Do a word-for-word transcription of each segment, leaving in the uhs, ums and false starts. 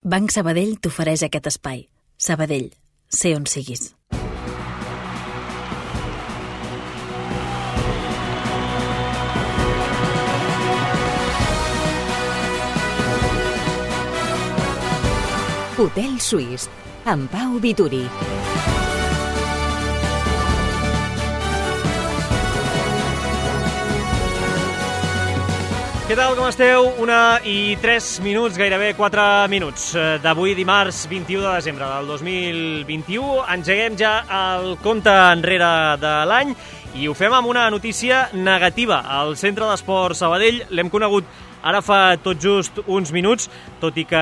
Banc Sabadell t'ofereix aquest espai. Sabadell, sé on siguis. Hotel Suís, amb Pau Vituri. Què tal, com esteu? Una i tres minuts, gairebé quatre minuts d'avui, dimarts vint-i-u de desembre del dos mil vint-i-u. Engeguem ja el compte enrere de l'any i ho fem amb una notícia negativa. El Centre d'Esport Sabadell l'hem conegut ara fa tot just uns minuts, tot i que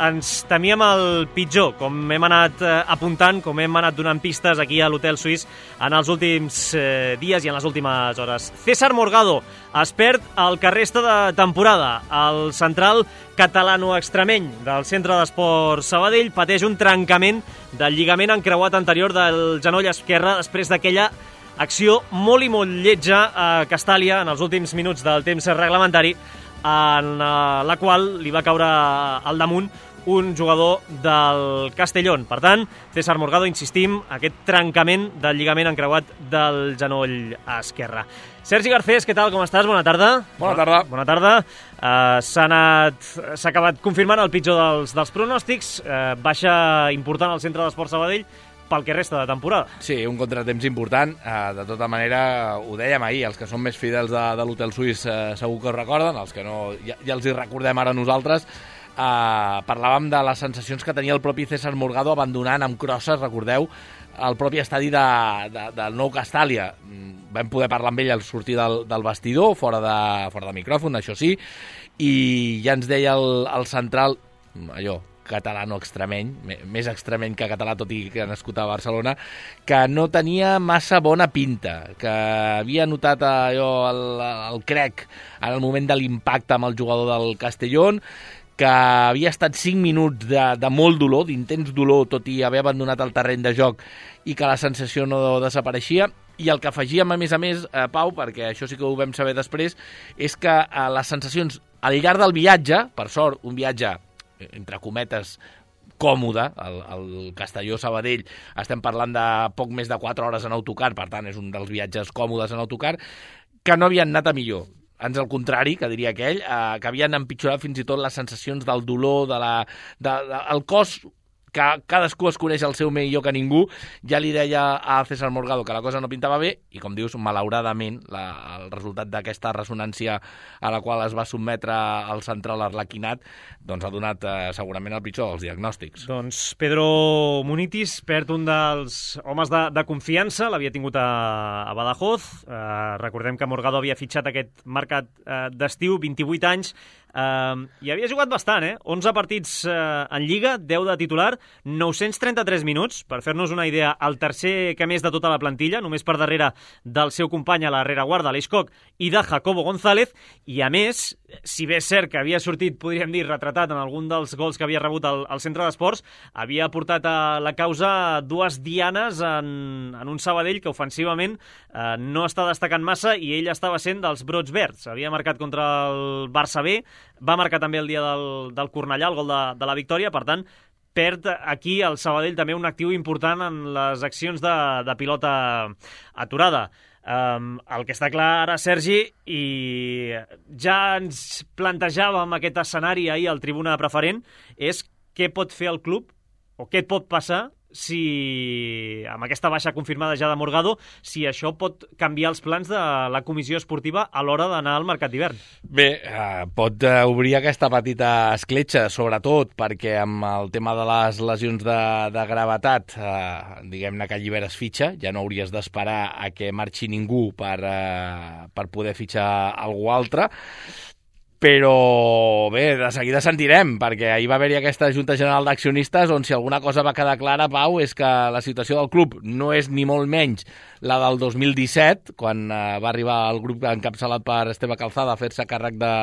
ens temíem el pitjor, com hem anat apuntant, com hem anat donant pistes aquí a l'Hotel Suís en els últims eh, dies i en les últimes hores. César Morgado es perd el que resta de temporada. El central catalano-extremeny del Centre d'Esport Sabadell pateix un trencament del lligament encreuat anterior del genoll esquerre després d'aquella acció molt i molt lletja a Castàlia en els últims minuts del temps reglamentari, en la qual li va caure al damunt un jugador del Castellón. Per tant, César Morgado, insistim, aquest trencament del lligament encreuat del genoll esquerre. Sergi Garcés, què tal, com estàs? Bona tarda. Bona tarda. Bona tarda. Uh, s'ha anat, s'ha acabat confirmant el pitjor dels, dels pronòstics. Uh, baixa important al Centre d'Esport Sabadell pel que resta de temporada. Sí, un contratemps important. Uh, de tota manera, ho dèiem ahir, els que són més fidels de, de l'Hotel Suís uh, segur que ho recorden, els que no ja, ja els hi recordem ara nosaltres. Uh, parlàvem de les sensacions que tenia el propi César Morgado abandonant amb crosses, recordeu, el propi estadi de, de, del Nou Castàlia. Vam poder parlar amb ell al sortir del, del vestidor, fora de, fora de micròfon, això sí, i ja ens deia el, el central, allò, catalano-extremeny, més extremeny que català, tot i que nascut a Barcelona, que no tenia massa bona pinta, que havia notat allò, el, el crec en el moment de l'impacte amb el jugador del Castellón, que havia estat cinc minuts de, de molt dolor, d'intens dolor, tot i haver abandonat el terreny de joc, i que la sensació no desapareixia. I el que afegíem, a més a més, eh, Pau, perquè això sí que ho vam saber després, és que eh, les sensacions al llarg del viatge, per sort, un viatge entre cometes, còmode, el, el Castelló-Sabadell, estem parlant de poc més de quatre hores en autocar, per tant és un dels viatges còmodes en autocar, que no havien anat a millor. Ans al contrari, que diria aquell, eh, que havien empitjorat fins i tot les sensacions del dolor, de la, de, de, el cos, que cadascú es coneix el seu millor que ningú. Ja li deia a César Morgado que la cosa no pintava bé i, com dius, malauradament, la, el resultat d'aquesta ressonància a la qual es va sotmetre el central arlequinat doncs ha donat eh, segurament el pitjor dels diagnòstics. Doncs Pedro Munitis perd un dels homes de, de confiança, l'havia tingut a, a Badajoz. Eh, recordem que Morgado havia fitxat aquest mercat eh, d'estiu, vint-i-vuit anys, Uh, i havia jugat bastant, eh? onze partits uh, en Lliga, deu de titular, nou-cents trenta-tres minuts, per fer-nos una idea, el tercer que més de tota la plantilla, només per darrere del seu company a la rereguarda, Aleix Coc, i de Jacobo González, i a més, si bé és cert que havia sortit, podríem dir, retratat en algun dels gols que havia rebut al, al Centre d'Esports, havia portat a la causa dues dianes en, en un Sabadell que ofensivament uh, no està destacant massa, i ell estava sent dels brots verds. Havia marcat contra el Barça B, va marcar també el dia del, del Cornellà, el gol de, de la victòria. Per tant, perd aquí el Sabadell també un actiu important en les accions de, de pilota aturada. Um, el que està clar ara, Sergi, i ja ens plantejàvem aquest escenari ahir al Tribuna Preferent, és què pot fer el club, o què pot passar si, amb aquesta baixa confirmada ja de Morgado, si això pot canviar els plans de la comissió esportiva a l'hora d'anar al mercat d'hivern. Bé, eh, pot eh, obrir aquesta petita escletxa, sobretot perquè amb el tema de les lesions de, de gravetat, eh, diguem-ne que alliberes fitxa, ja no hauries d'esperar a que marxi ningú per, eh, per poder fitxar algú altre. Però bé, de seguida sentirem, perquè ahir va haver-hi aquesta Junta General d'Accionistes on si alguna cosa va quedar clara, Pau, és que la situació del club no és ni molt menys la del dos mil disset, quan eh, va arribar el grup encapçalat per Esteve Calzada a fer-se càrrec de,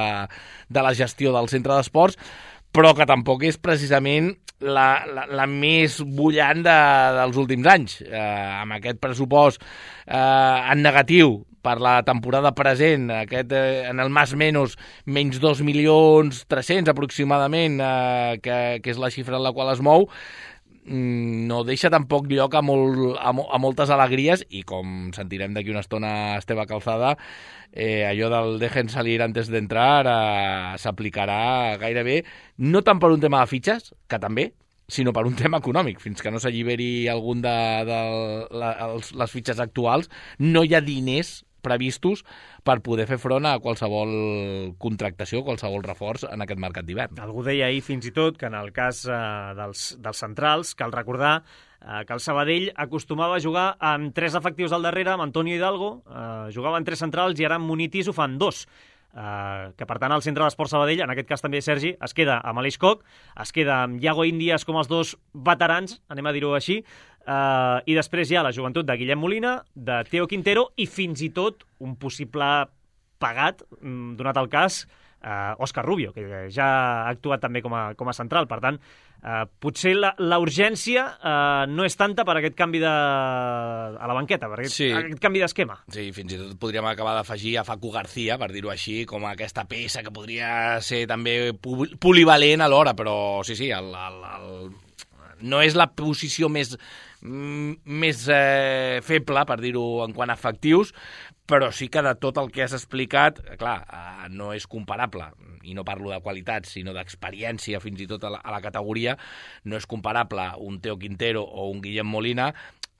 de la gestió del centre d'esports, però que tampoc és precisament la, la, la més bullant de, dels últims anys. Eh, amb aquest pressupost eh, en negatiu, per la temporada present, aquest, eh, en el más menos, menys dos milions tres-cents aproximadament, eh, que, que és la xifra en la qual es mou, no deixa tampoc lloc a, molt, a, a moltes alegries, i com sentirem d'aquí una estona Esteve Calzada, eh, allò del dejen salir antes d'entrar eh, s'aplicarà gairebé, no tant per un tema de fitxes, que també, sinó per un tema econòmic. Fins que no s'alliberi algun de, de la, els, les fitxes actuals, no hi ha diners previstos per poder fer front a qualsevol contractació, qualsevol reforç en aquest mercat d'hivern. Algú deia ahir fins i tot que en el cas eh, dels, dels centrals, cal recordar eh, que el Sabadell acostumava a jugar amb tres efectius al darrere, amb Antonio Hidalgo, eh, jugava amb tres centrals i ara amb Munitis ho fan dos. Uh, que per tant el centre d'Esport Sabadell, en aquest cas també Sergi, es queda amb Aleix Koch, es queda amb Iago Índies com els dos veterans, anem a dir-ho així, uh, i després hi ha la joventut de Guillem Molina, de Teo Quintero i fins i tot un possible pagat, donat el cas, uh, Òscar Rubio, que ja ha actuat també com a, com a central. Per tant, uh, potser la, la urgència uh, no és tanta per aquest canvi de... a la banqueta, per aquest, sí. aquest canvi d'esquema. Sí, fins i tot podríem acabar d'afegir a Facu García, per dir-ho així, com aquesta peça que podria ser també polivalent alhora, però sí, sí, el, el, el... no és la posició més, més eh, feble, per dir-ho en quant a efectius, però sí que de tot el que has explicat, clar, eh, no és comparable, i no parlo de qualitat, sinó d'experiència fins i tot a la, a la categoria, no és comparable un Teo Quintero o un Guillem Molina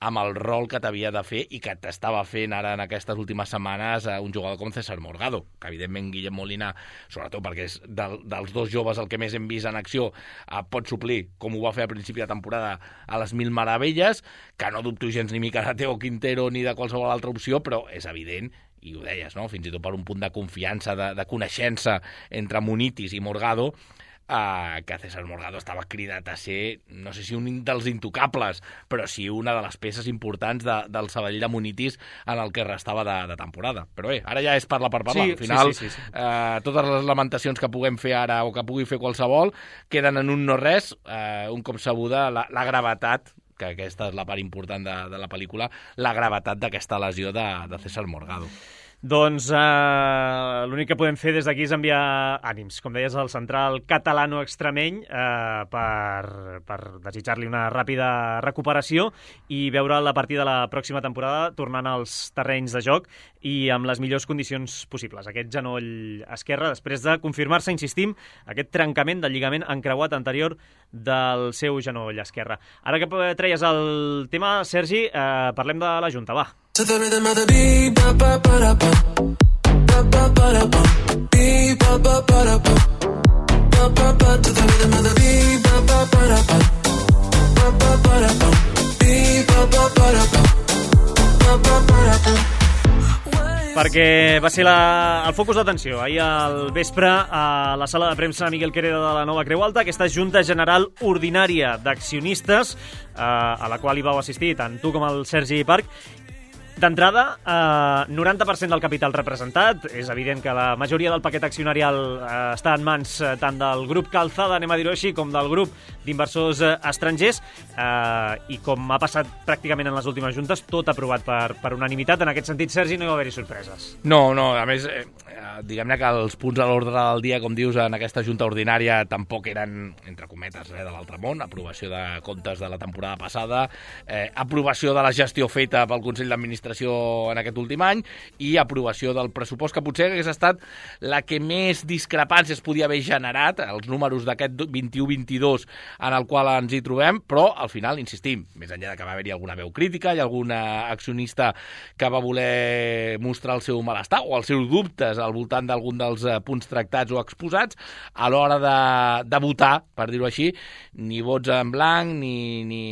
amb el rol que t'havia de fer i que t'estava fent ara en aquestes últimes setmanes un jugador com César Morgado, que evidentment Guillem Molina, sobretot perquè és del, dels dos joves el que més hem vist en acció, eh, pot suplir, com ho va fer a principi de temporada, a les mil meravelles, que no dubto gens ni mica de Teo Quintero ni de qualsevol altra opció, però és evident, i ho deies, no? Fins i tot per un punt de confiança, de, de coneixença entre Munitis i Morgado, Uh, que César Morgado estava cridat a ser, no sé si un dels intocables, però sí una de les peces importants de, del Sabadell de Munitis en el que restava de, de temporada. Però bé, ara ja és parla per parlar. Sí, al final, sí, sí, sí, sí. Uh, totes les lamentacions que puguem fer ara o que pugui fer qualsevol queden en un no res, uh, un cop sabuda la, la gravetat, que aquesta és la part important de, de la pel·lícula, la gravetat d'aquesta lesió de, de César Morgado. Doncs eh, l'únic que podem fer des d'aquí és enviar ànims, com deies, al central catalano-extremeny eh, per, per desitjar-li una ràpida recuperació i veure la partida de la pròxima temporada tornant als terrenys de joc i amb les millors condicions possibles. Aquest genoll esquerre, després de confirmar-se, insistim, aquest trencament del lligament encreuat anterior del seu genoll esquerre. Ara que treies el tema, Sergi, eh, parlem de la Junta, va. To the rhythm of the beat, ba ba ba da ba, ba ba ba da ba, beat ba ba ba da ba, ba ba ba. To the rhythm of the beat, ba ba ba da ba, ba ba ba da ba, beat ba ba ba da ba, ba ba ba da ba. Perquè va ser la, el focus d'atenció ahir al vespre a la sala de premsa Miguel Quereda de la Nova Creu Alta, aquesta Junta General Ordinària d'Accionistes, eh, a la qual hi vau assistir tant tu com el Sergi Parc. D'entrada, eh, noranta per cent del capital representat. És evident que la majoria del paquet accionarial eh, està en mans eh, tant del grup Calzada, anem a dir-ho així, com del grup d'inversors eh, estrangers. Eh, I com ha passat pràcticament en les últimes juntes, tot aprovat per, per unanimitat. En aquest sentit, Sergi, no hi va haver-hi sorpreses. No, no, a més, eh, diguem-ne que els punts a l'ordre del dia, com dius, en aquesta junta ordinària tampoc eren, entre cometes, res de l'altre món. Aprovació de comptes de la temporada passada, eh, aprovació de la gestió feta pel Consell d'Administració en aquest últim any i aprovació del pressupost, que potser hagués estat la que més discrepàncies podia haver generat, els números d'aquest vint-i-u vint-i-dos en el qual ens hi trobem, però al final, insistim, més enllà de que va haver-hi alguna veu crítica i alguna accionista que va voler mostrar el seu malestar o els seus dubtes al voltant d'algun dels punts tractats o exposats, a l'hora de, de votar, per dir-ho així, ni vots en blanc, ni, ni,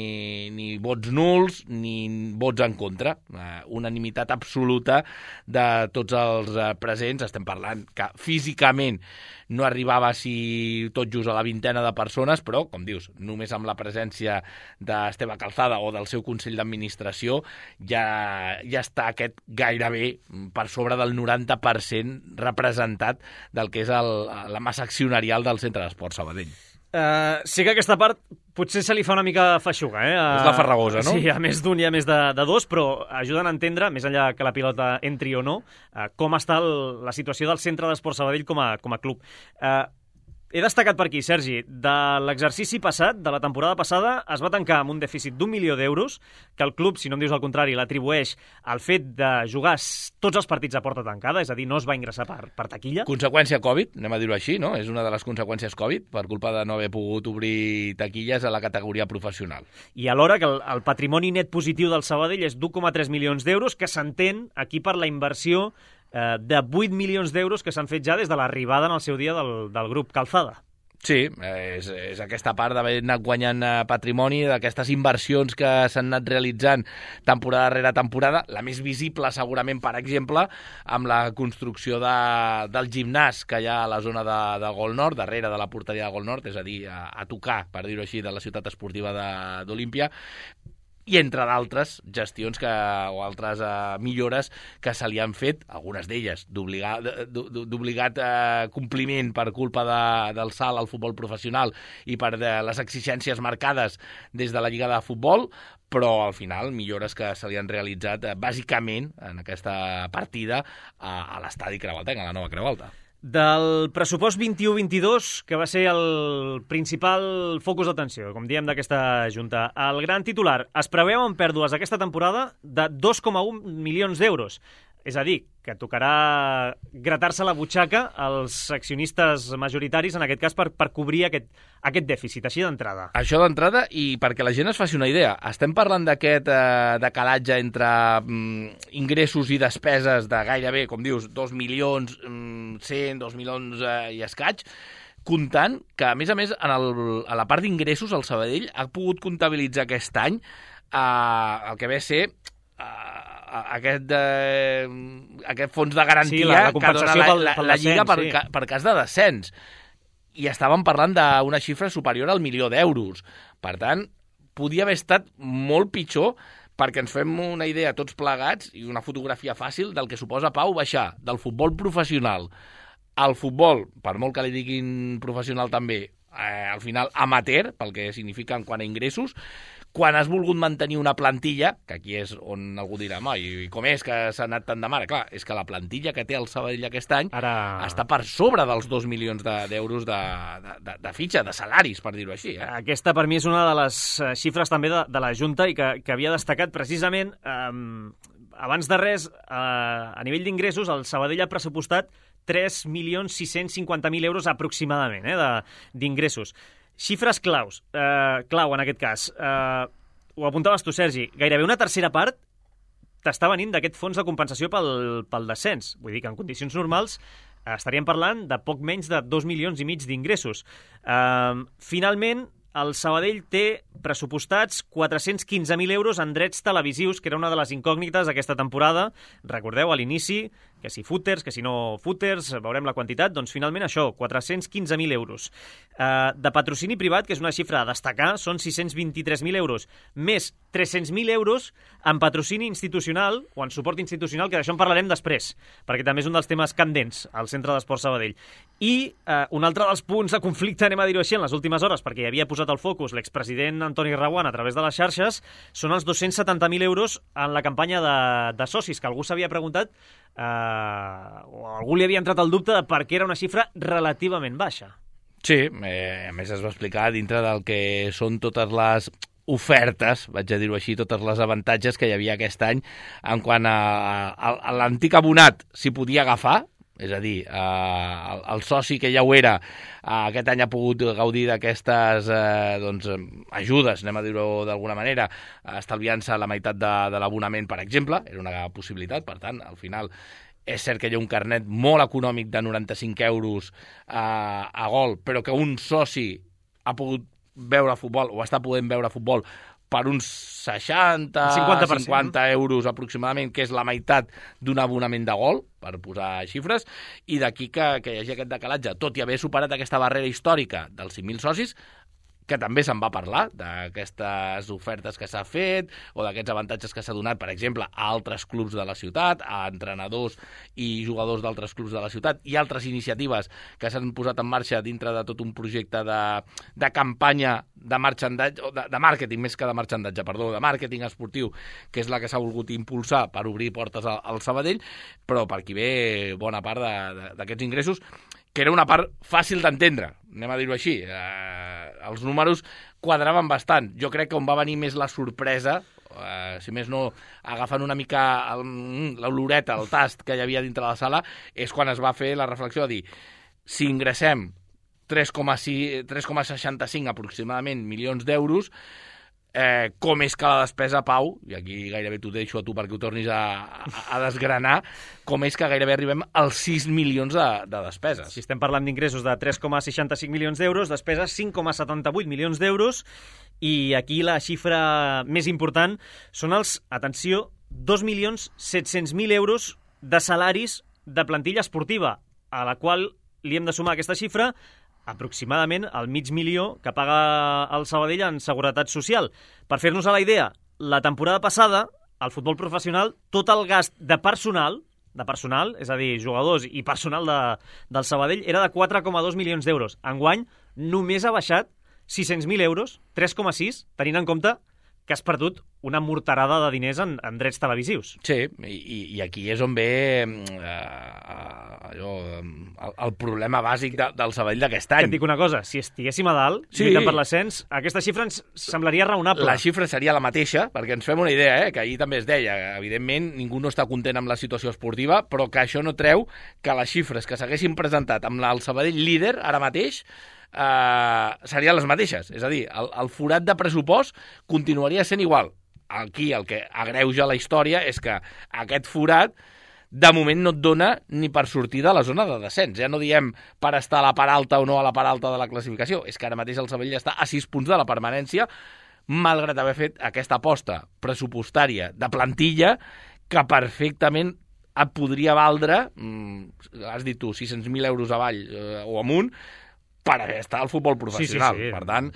ni vots nuls, ni vots en contra. Eh, unanimitat absoluta de tots els presents. Estem parlant que físicament no arribava si tot just a la vintena de persones, però, com dius, només amb la presència d'Esteve Calzada o del seu Consell d'Administració ja, ja està aquest gairebé per sobre del noranta per cent representat del que és el, la massa accionarial del Centre d'Esport Sabadell. Uh, sí que aquesta part potser se li fa una mica feixuga, eh? És la Farragosa, no? Sí, a més d'un i a més de, de dos, però ajuden a entendre, més enllà que la pilota entri o no, eh, com està el, la situació del Centre d'Esport Sabadell com a, com a club. Eh, He destacat per aquí, Sergi, de l'exercici passat, de la temporada passada, es va tancar amb un dèficit d'un milió d'euros, que el club, si no em dius el contrari, l'atribueix al fet de jugar tots els partits a porta tancada, és a dir, no es va ingressar per, per taquilla. Conseqüència Covid, anem a dir-ho així, no? És una de les conseqüències Covid, per culpa de no haver pogut obrir taquilles a la categoria professional. I alhora que el, el patrimoni net positiu del Sabadell és d'u coma tres milions d'euros, que s'entén aquí per la inversió eh, de vuit milions d'euros que s'han fet ja des de l'arribada en el seu dia del, del grup Calzada. Sí, és, és aquesta part d'haver anat guanyant patrimoni, d'aquestes inversions que s'han anat realitzant temporada rere temporada. La més visible, segurament, per exemple, amb la construcció de, del gimnàs que hi ha a la zona de, de Gol Nord, darrere de la porteria de Gol Nord, és a dir, a, a tocar, per dir-ho així, de la ciutat esportiva d'Olímpia, i entre d'altres gestions que, o altres uh, millores que se li han fet, algunes d'elles d'obligat uh, compliment per culpa de, del salt al futbol professional i per de les exigències marcades des de la Lliga de Futbol, però al final millores que se li han realitzat uh, bàsicament en aquesta partida a, a l'estadi Creu Alta, a la nova Creu Alta. Del pressupost vint-i-u vint-i-dos, que va ser el principal focus d'atenció, com diem, d'aquesta junta, el gran titular: es preveuen pèrdues aquesta temporada de dos coma un milions d'euros. És a dir, que tocarà gratar-se la butxaca als accionistes majoritaris, en aquest cas, per, per cobrir aquest, aquest dèficit, així d'entrada. Això d'entrada, i perquè la gent es faci una idea, estem parlant d'aquest eh, decalatge entre mm, ingressos i despeses de gairebé, com dius, dos milions cent, dos milions eh, i escaig, comptant que, a més a més, en el, a la part d'ingressos, el Sabadell ha pogut comptabilitzar aquest any eh, el que ve a ser eh, aquest, eh, aquest fons de garantia, sí, la, la que dona la, la, la Lliga per, sí. per cas de descens. I estàvem parlant d'una xifra superior al milió d'euros. Per tant, podia haver estat molt pitjor, perquè ens fem una idea tots plegats i una fotografia fàcil del que suposa, Pau, baixar del futbol professional al futbol, per molt que li diguin professional també, eh, al final amateur, pel que significa en quant a ingressos, quan has volgut mantenir una plantilla, que aquí és on algú dirà, home, i com és que s'ha anat tant de mare? Clar, és que la plantilla que té el Sabadell aquest any Ara... està per sobre dels dos milions d'euros de, de, de, de fitxa, de salaris, per dir-ho així. Eh? Aquesta, per mi, és una de les xifres també de, de la Junta i que, que havia destacat precisament, eh, abans de res, eh, a nivell d'ingressos, el Sabadell ha pressupostat tres milions sis-cents cinquanta mil euros aproximadament eh, d'ingressos. Xifres claus, eh, clau en aquest cas. Eh, ho apuntaves tu, Sergi, gairebé una tercera part t'està venint d'aquest fons de compensació pel, pel descens. Vull dir que en condicions normals eh, estaríem parlant de poc menys de dos milions i mig d'ingressos. Eh, finalment, el Sabadell té pressupostats quatre-cents quinze mil euros en drets televisius, que era una de les incògnites d'aquesta temporada. Recordeu, a l'inici, que si footers, que si no footers, veurem la quantitat, doncs finalment això, quatre-cents quinze mil euros. Uh, de patrocini privat, que és una xifra a destacar, són sis-cents vint-i-tres mil euros, més tres-cents mil euros en patrocini institucional, o en suport institucional, que d'això en parlarem després, perquè també és un dels temes candents al Centre d'Esport Sabadell. I uh, un altre dels punts de conflicte, anem a dir-ho així, en les últimes hores, perquè hi havia posat el focus l'expresident Antoni Reguant a través de les xarxes, són els dos-cents setanta mil euros en la campanya de, de socis, que algú s'havia preguntat Uh, o algú li havia entrat el dubte de per què era una xifra relativament baixa. Sí, eh, a més es va explicar dintre del que són totes les ofertes, vaig a dir-ho així, totes les avantatges que hi havia aquest any en quant a, a, a l'antic abonat s'hi podia agafar, és a dir, eh, el, el soci que ja ho era eh, aquest any ha pogut gaudir d'aquestes eh, doncs, ajudes, anem a dir-ho d'alguna manera, estalviant-se la meitat de, de l'abonament, per exemple, era una possibilitat. Per tant, al final és cert que hi ha un carnet molt econòmic de noranta-cinc euros eh, a Gol, però que un soci ha pogut veure futbol o està podent veure futbol per uns seixanta, cinquanta euros aproximadament, que és la meitat d'un abonament de Gol, per posar xifres, i d'aquí que, que hi hagi aquest decalatge, tot i haver superat aquesta barrera històrica dels cinc mil socis, que també se'n va parlar, d'aquestes ofertes que s'ha fet o d'aquests avantatges que s'ha donat, per exemple, a altres clubs de la ciutat, a entrenadors i jugadors d'altres clubs de la ciutat, i altres iniciatives que s'han posat en marxa dintre de tot un projecte de, de campanya de marxandatge, de, de màrqueting, més que de marxandatge, perdó, de màrqueting esportiu, que és la que s'ha volgut impulsar per obrir portes al, al Sabadell, però per aquí ve bona part d'aquests ingressos, que era una part fàcil d'entendre, anem a dir-ho així. Eh, els números quadraven bastant. Jo crec que on va venir més la sorpresa, eh, si més no, agafant una mica l'oloreta, el tast que hi havia dintre la sala, és quan es va fer la reflexió de dir, si ingressem tres coma seixanta-cinc aproximadament milions d'euros, Eh, com és que la despesa, Pau, i aquí gairebé t'ho deixo a tu perquè ho tornis a, a, a desgranar, com és que gairebé arribem als sis milions de, de despeses. Si estem parlant d'ingressos de tres coma seixanta-cinc milions d'euros, despeses cinc coma setanta-vuit milions d'euros, i aquí la xifra més important són els, atenció, dos milions set-cents mil euros de salaris de plantilla esportiva, a la qual li hem de sumar aquesta xifra aproximadament el mig milió que paga el Sabadell en Seguretat Social. Per fer-nos a la idea, la temporada passada, al futbol professional, tot el gast de personal, de personal, és a dir, jugadors i personal de, del Sabadell, era de quatre coma dos milions d'euros. Enguany, només ha baixat sis-cents mil euros, tres coma sis, tenint en compte que has perdut una morterada de diners en, en drets televisius. Sí, i, i aquí és on ve eh, allò, el, el problema bàsic de, del Sabadell d'aquest any. Que et dic una cosa, si estiguéssim a dalt, sí, lluitant per l'ascens, aquesta xifra ens semblaria raonable. La xifra seria la mateixa, perquè ens fem una idea, eh, que ahir també es deia, evidentment ningú no està content amb la situació esportiva, però que això no treu que les xifres que s'haguessin presentat amb el Sabadell líder ara mateix Uh, serien les mateixes, és a dir, el, el forat de pressupost continuaria sent igual. Aquí el que agreuja la història és que aquest forat de moment no et dona ni per sortir de la zona de descens. Ja no diem per estar a la part alta o no a la part alta de la classificació, és que ara mateix el Sabadell està a sis punts de la permanència, malgrat haver fet aquesta aposta pressupostària de plantilla que perfectament et podria valdre, mm, has dit tu, sis-cents mil euros avall eh, o amunt, per estar al futbol professional. Sí, sí, sí. Per tant,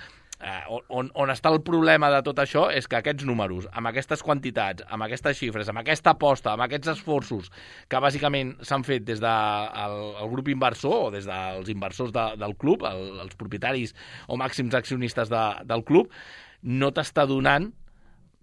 eh, on, on està el problema de tot això és que aquests números, amb aquestes quantitats, amb aquestes xifres, amb aquesta aposta, amb aquests esforços que bàsicament s'han fet des del el grup inversor o des dels inversors de, del club, el, els propietaris o màxims accionistes de, del club, no t'està donant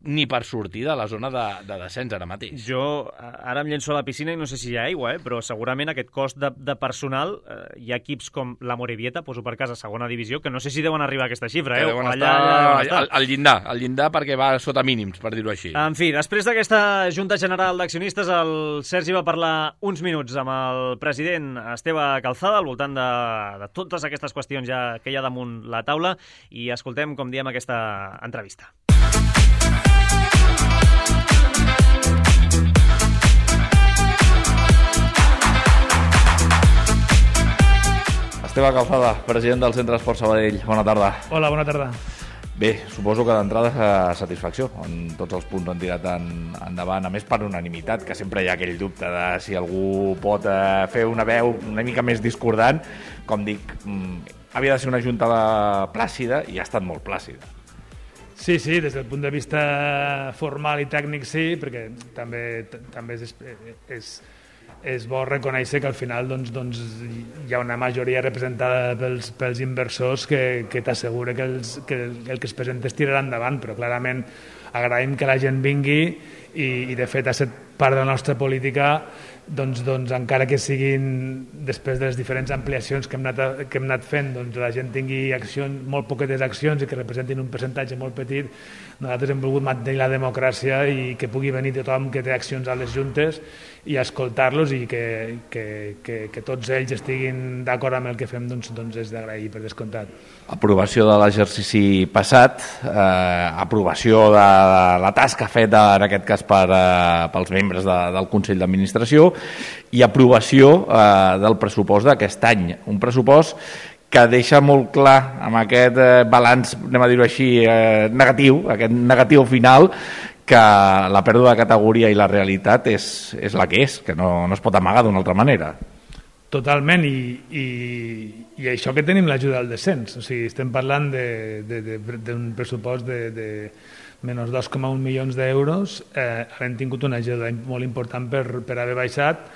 ni per sortir de la zona de, de descens ara mateix. Jo ara em llenço a la piscina i no sé si hi ha aigua, eh? Però segurament aquest cost de, de personal, eh, hi ha equips com la Morevieta, poso per casa, segona divisió, que no sé si deuen arribar a aquesta xifra. Eh? Deuen allà, estar, allà deuen estar. Al, al llindar, al llindar perquè va sota mínims, per dir-ho així. En fi, després d'aquesta Junta General d'Accionistes, el Sergi va parlar uns minuts amb el president Esteve Calzada al voltant de, de totes aquestes qüestions ja que hi ha damunt la taula, i escoltem, com diem, aquesta entrevista. Esteve Calzada, president del Centre Esport Sabadell. Bona tarda. Hola, bona tarda. Bé, suposo que d'entrada és satisfacció. En tots els punts han tirat en, endavant, a més per unanimitat, que sempre hi ha aquell dubte de si algú pot eh, fer una veu una mica més discordant. Com dic, havia de ser una junta plàcida i ha estat molt plàcida. Sí, sí, des del punt de vista formal i tècnic sí, perquè també, també és, és, és bo reconèixer que al final doncs, doncs, hi ha una majoria representada pels, pels inversors que, que t'assegura que, els, que el, el que es presenta es tirarà endavant, però clarament agraïm que la gent vingui i, i de fet ha estat part de la nostra política, doncs, doncs encara que siguin després de les diferents ampliacions que hem anat, que hem anat fent, doncs la gent tingui accions, molt poquetes accions i que representin un percentatge molt petit, nosaltres hem volgut mantenir la democràcia i que pugui venir tothom que té accions a les juntes i escoltar-los i que, que, que, que tots ells estiguin d'acord amb el que fem, doncs, doncs és d'agrair per descomptat. Aprovació de l'exercici passat, eh, aprovació de la tasca feta en aquest cas per, eh, pels membres de, del Consell d'Administració i aprovació eh, del pressupost d'aquest any. Un pressupost que deixa molt clar amb aquest eh, balanç, anem a dir-ho així, eh, negatiu, aquest negatiu final, que la pèrdua de categoria i la realitat és, és la que és, que no, no es pot amagar d'una altra manera. Totalment, i, i, i això que tenim l'ajuda al descens, o sigui, estem parlant d'un pressupost de, de menys dos coma un milions d'euros, eh, hem tingut una ajuda molt important per, per haver baixat,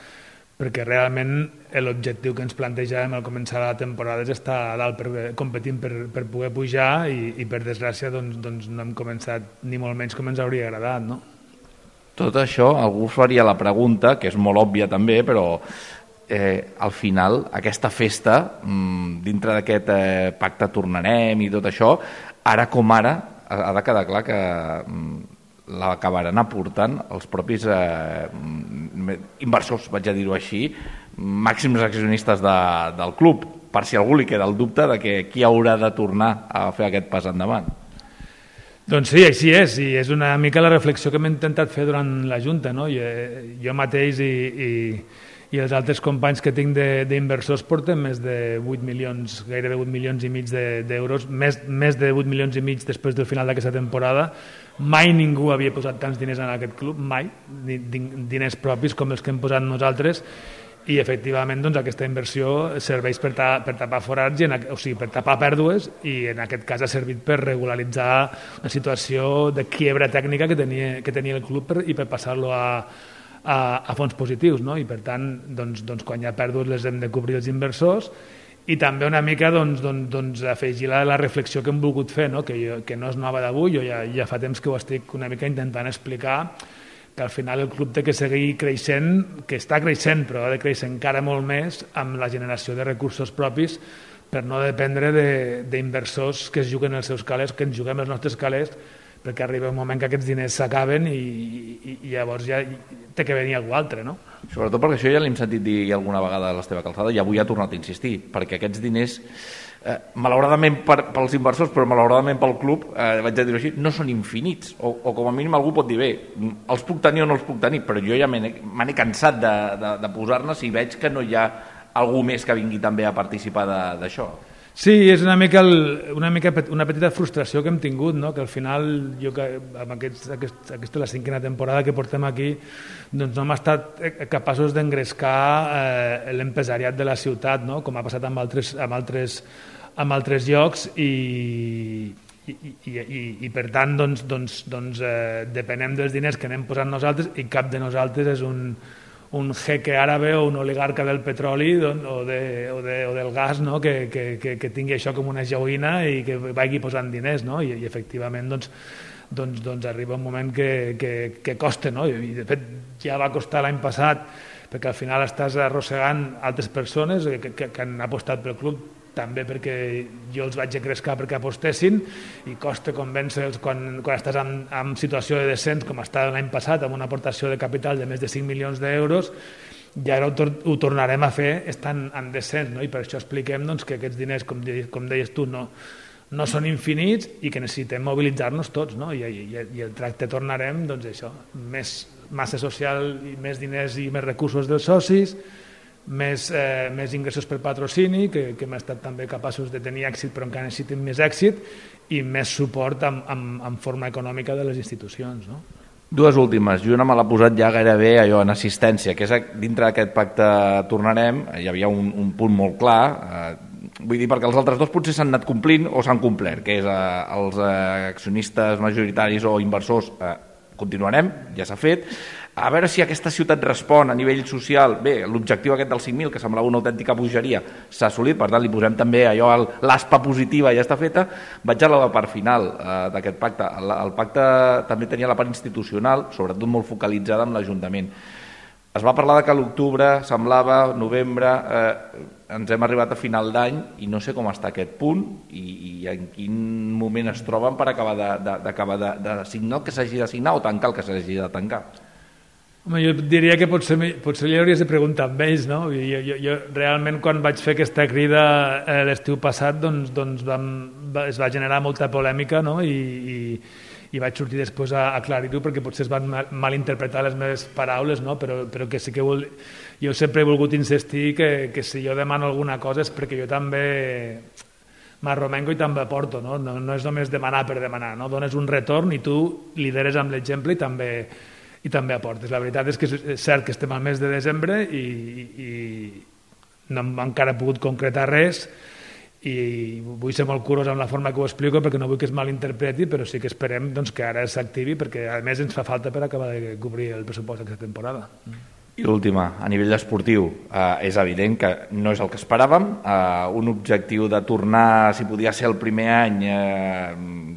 perquè realment l'objectiu que ens plantejàvem al començar la temporada és estar a dalt per, competint per, per poder pujar i, i per desgràcia doncs, doncs no hem començat ni molt menys com ens hauria agradat, no? Tot això, algú faria la pregunta, que és molt òbvia també, però eh, al final aquesta festa, mmm, dintre d'aquest eh, pacte tornarem i tot això, ara com ara ha de quedar clar que mmm, l'acabaran aportant els propis eh, inversors, vaig a dir-ho així, màxims accionistes de, del club, per si a algú li queda el dubte de que qui haurà de tornar a fer aquest pas endavant. Doncs sí, així és, i és una mica la reflexió que hem intentat fer durant la Junta, no? Jo, jo mateix i, i, i els altres companys que tinc d'inversors porten més de vuit milions, gairebé vuit milions i mig d'euros, més, més de vuit milions i mig després del final d'aquesta temporada. Mai ningú havia posat tants diners en aquest club, mai, diners propis com els que hem posat nosaltres, i efectivament doncs, aquesta inversió serveix per, ta, per tapar forats, i en, o sigui, per tapar pèrdues, i en aquest cas ha servit per regularitzar una situació de quiebra tècnica que tenia, que tenia el club per, i per passar-lo a, a, a fons positius, no? I per tant, doncs, doncs, quan hi ha pèrdues les hem de cobrir els inversors, i també una mica doncs, doncs, doncs, afegir la, la reflexió que hem volgut fer, no? Que, jo, que no és nova d'avui, jo ja, ja fa temps que ho estic una mica intentant explicar, que al final el club té que seguir creixent, que està creixent, però ha de créixer encara molt més amb la generació de recursos propis per no dependre d'inversors que es juguen els seus calés, que ens juguem els nostres calés, perquè arriba un moment que aquests diners s'acaben i, i, i llavors ja té que venir algú altre, no? Sobretot perquè això ja l'hem sentit dir alguna vegada a l'Esteve Calzada i avui ha tornat a insistir, perquè aquests diners, eh, malauradament per, pels inversors, però malauradament pel club, eh, vaig a dir-ho així, no són infinits, o, o com a mínim algú pot dir, bé, els puc tenir o no els puc tenir, però jo ja me n'he cansat de, de, de posar-ne si veig que no hi ha algú més que vingui també a participar d'això. Sí, és una mica, el, una mica una petita frustració que hem tingut, no? Que al final, jo que amb aquests, aquest, aquesta és la cinquena temporada que portem aquí, doncs no hem estat capaços d'engrescar eh, l'empresariat de la ciutat, no? Com ha passat amb altres, amb altres, amb altres llocs, i, i, i, i, i per tant doncs, doncs, doncs, eh, depenem dels diners que anem posant nosaltres, i cap de nosaltres és un un jeque àrabe o un oligarca del petroli o, de, o, de, o del gas, no? que, que, que, que tingui això com una joguina i que vagi posant diners, no? I, i efectivament doncs, doncs, doncs arriba un moment que, que, que costa, no? I de fet ja va costar l'any passat, perquè al final estàs arrossegant altres persones que, que, que han apostat pel club, també perquè jo els vaig engrescar perquè apostessin, i costa convèncer-los quan, quan estàs en, en situació de descens, com estava l'any passat, amb una aportació de capital de més de cinc milions d'euros, i ara ho, tor ho tornarem a fer estant en descens, no? I per això expliquem doncs, que aquests diners, com, de, com deies tu, no, no són infinits i que necessitem mobilitzar-nos tots, no? I, i, i el tracte tornarem, doncs això, més massa social i més diners i més recursos dels socis, més, eh, més ingressos per patrocini, que, que hem estat també capaços de tenir èxit, però encara necessitem més èxit, i més suport en, en, en forma econòmica de les institucions, no? Dues últimes, i una me l'ha posat ja gairebé allò en assistència, que és dintre d'aquest pacte tornarem, hi havia un, un punt molt clar, eh, vull dir, perquè els altres dos potser s'han anat complint o s'han complert, que és eh, els eh, accionistes majoritaris o inversors, eh, continuarem, ja s'ha fet. A veure si aquesta ciutat respon a nivell social. Bé, l'objectiu aquest dels cinc mil, que semblava una autèntica bogeria, s'ha assolit, per tant li posem també allò, l'aspa positiva ja està feta. Vaig a la part final eh, d'aquest pacte. El, el pacte també tenia la part institucional, sobretot molt focalitzada en l'Ajuntament. Es va parlar de que a l'octubre, semblava, novembre, eh, ens hem arribat a final d'any i no sé com està aquest punt i, i en quin moment es troben per acabar de, de, d'acabar de, de signar el que s'hagi de signar o tancar el que s'hagi de tancar. Home, jo diria que potser, potser li hauries de preguntar amb ells, no? Jo, jo, jo realment quan vaig fer aquesta crida eh, l'estiu passat doncs, doncs vam, va, es va generar molta polèmica, no? I, i, i vaig sortir després a aclarir-ho perquè potser es van mal, malinterpretar les meves paraules, no? Però, però que sí que vol, jo sempre he volgut insistir que, que si jo demano alguna cosa és perquè jo també m'arromengo i també aporto, no? No, no és només demanar per demanar, no? Dones un retorn i tu lideres amb l'exemple i també i també aportes. La veritat és que és cert que estem al mes de desembre i, i no hem encara pogut concretar res i vull ser molt curós amb la forma que ho explico perquè no vull que es malinterpreti, però sí que esperem doncs, que ara s'activi perquè a més ens fa falta per acabar de cobrir el pressupost d'aquesta temporada. I l'última, a nivell esportiu, eh, és evident que no és el que esperàvem. Eh, un objectiu de tornar, si podia ser el primer any, eh,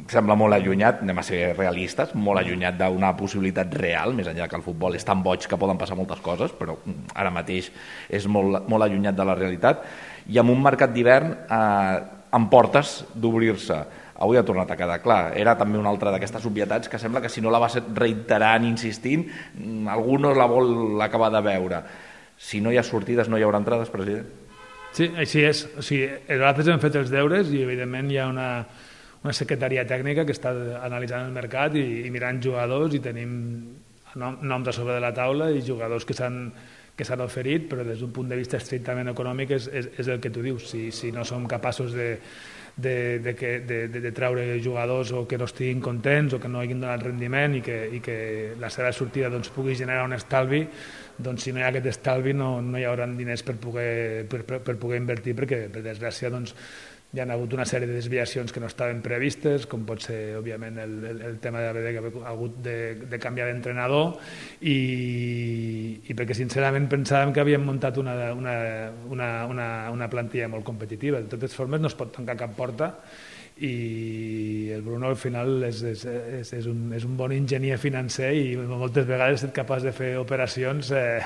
sembla molt allunyat, anem a ser realistes, molt allunyat d'una possibilitat real, més enllà que el futbol és tan boig que poden passar moltes coses, però ara mateix és molt, molt allunyat de la realitat. I amb un mercat d'hivern eh, amb portes d'obrir-se. Avui ha tornat a quedar clar. Era també una altra d'aquestes obvietats que sembla que si no la vas reiterant, insistint, algú no la vol acabar de veure. Si no hi ha sortides, no hi haurà entrades, president? Sí, així és. O sigui, nosaltres hem fet els deures i, evidentment, hi ha una, una secretaria tècnica que està analitzant el mercat i, i mirant jugadors i tenim nom, noms a sobre de la taula i jugadors que s'han que s'han oferit, però des d'un punt de vista estrictament econòmic és, és, és el que tu dius. Si, si no som capaços de, de, de, que, de, de, de treure jugadors o que no estiguin contents o que no hagin donat rendiment i que, i que la seva sortida doncs, pugui generar un estalvi, doncs si no hi ha aquest estalvi no, no hi haurà diners per poder, per, per, per poder invertir perquè, per desgràcia, doncs, hi ha hagut una sèrie de desviacions que no estaven previstes, com pot ser, òbviament, el, el, el tema d'haver hagut de, de canviar d'entrenador i, i perquè, sincerament, pensàvem que havíem muntat una, una, una, una, una plantilla molt competitiva. De totes formes, no es pot tancar cap porta i el Bruno, al final, és, és, és, és, un, és un bon enginyer financer i moltes vegades ha estat capaç de fer operacions eh,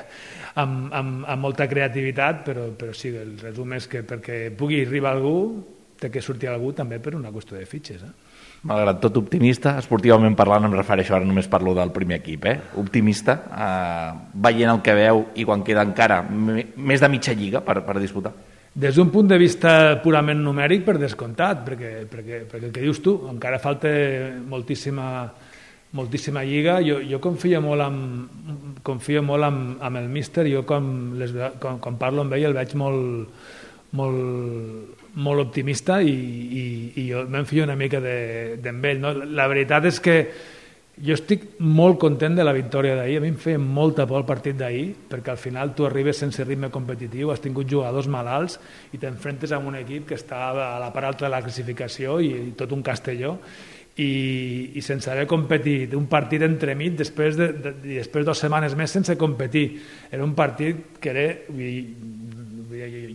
amb, amb, amb molta creativitat, però, però sí, el resum és que perquè pugui arribar algú té que sortir algú també per una qüestió de fitxes. Eh? Malgrat tot optimista, esportivament parlant, em refereixo, ara només parlo del primer equip, eh? optimista, eh, veient el que veu i quan queda encara més de mitja lliga per, per disputar. Des d'un punt de vista purament numèric, per descomptat, perquè, perquè, perquè el que dius tu, encara falta moltíssima, moltíssima lliga. Jo, jo confio molt, amb, confio molt amb, amb el míster, jo com, les, com, com parlo amb ell el veig molt, molt, molt optimista i, i, i jo m'enfio una mica d'ell. De, no? La veritat és que jo estic molt content de la victòria d'ahir. A mi em feia molta por el partit d'ahir, perquè al final tu arribes sense ritme competitiu, has tingut jugadors malalts i t'enfrentes amb un equip que està a la part alta de la classificació i, i tot un Castelló, i, i sense haver competit, un partit entremig, després de, de, i després dues setmanes més sense competir. Era un partit que era... I,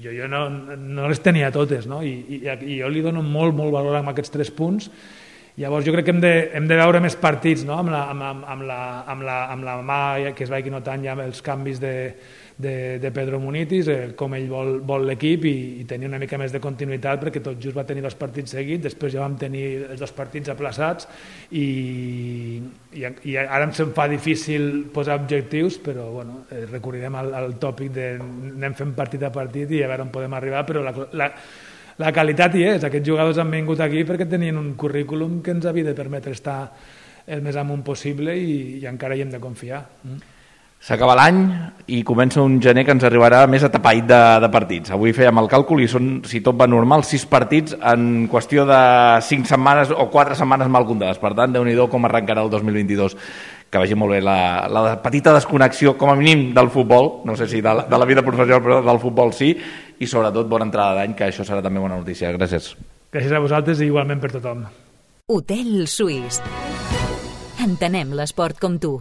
jo, jo no, no les tenia totes, no? I, i, i jo li dono molt, molt valor a aquests tres punts. Llavors jo crec que hem de, hem de veure més partits, no? amb, la, amb, amb, la, amb, la, amb la mà que es vagi notant ja els canvis de, de, de Pedro Munitis, eh, com ell vol, vol l'equip i, i tenir una mica més de continuïtat, perquè tot just va tenir dos partits seguits, després ja vam tenir els dos partits aplaçats i, i, i ara em se'm fa difícil posar objectius, però bueno, eh, recorrerem al, al tòpic de anem fent partit a partit i a veure on podem arribar, però la, la La qualitat hi és. Aquests jugadors han vingut aquí perquè tenien un currículum que ens havia de permetre estar el més amunt possible i, i encara hi hem de confiar. S'acaba l'any i comença un gener que ens arribarà més atapeït de, de partits. Avui fèiem el càlcul i són, si tot va normal, sis partits en qüestió de cinc setmanes o quatre setmanes mal comptades. Per tant, Déu-n'hi-do com arrencarà el dos mil vint-i-dos. Que vagi molt bé la, la petita desconnexió, com a mínim, del futbol, no sé si de la, de la vida professional, però del futbol sí, i sobretot bona entrada d'any, que això serà també bona notícia. Gràcies. Gràcies a vosaltres i igualment per tothom. Hotel Suís. Entenem l'esport com tu.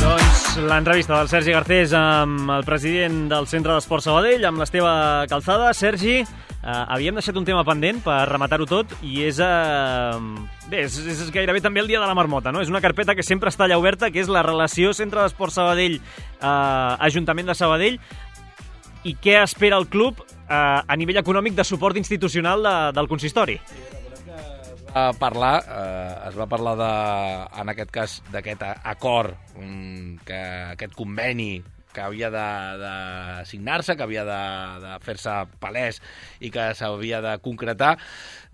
Doncs l'entrevista del Sergi Garcés amb el president del Centre d'Esport Sabadell, amb l'Esteve Calzada. Sergi, Uh, havíem deixat un tema pendent per rematar-ho tot i és, uh, bé, és, és gairebé també el dia de la marmota, no? És una carpeta que sempre està allà oberta, que és la relació Centre d'Esport Sabadell, uh, Ajuntament de Sabadell, i què espera el club uh, a nivell econòmic de suport institucional de, del consistori. A parlar, eh, es va parlar de, en aquest cas d'aquest acord, um, que aquest conveni que havia de, de signar-se, que havia de, de fer-se palès i que s'havia de concretar.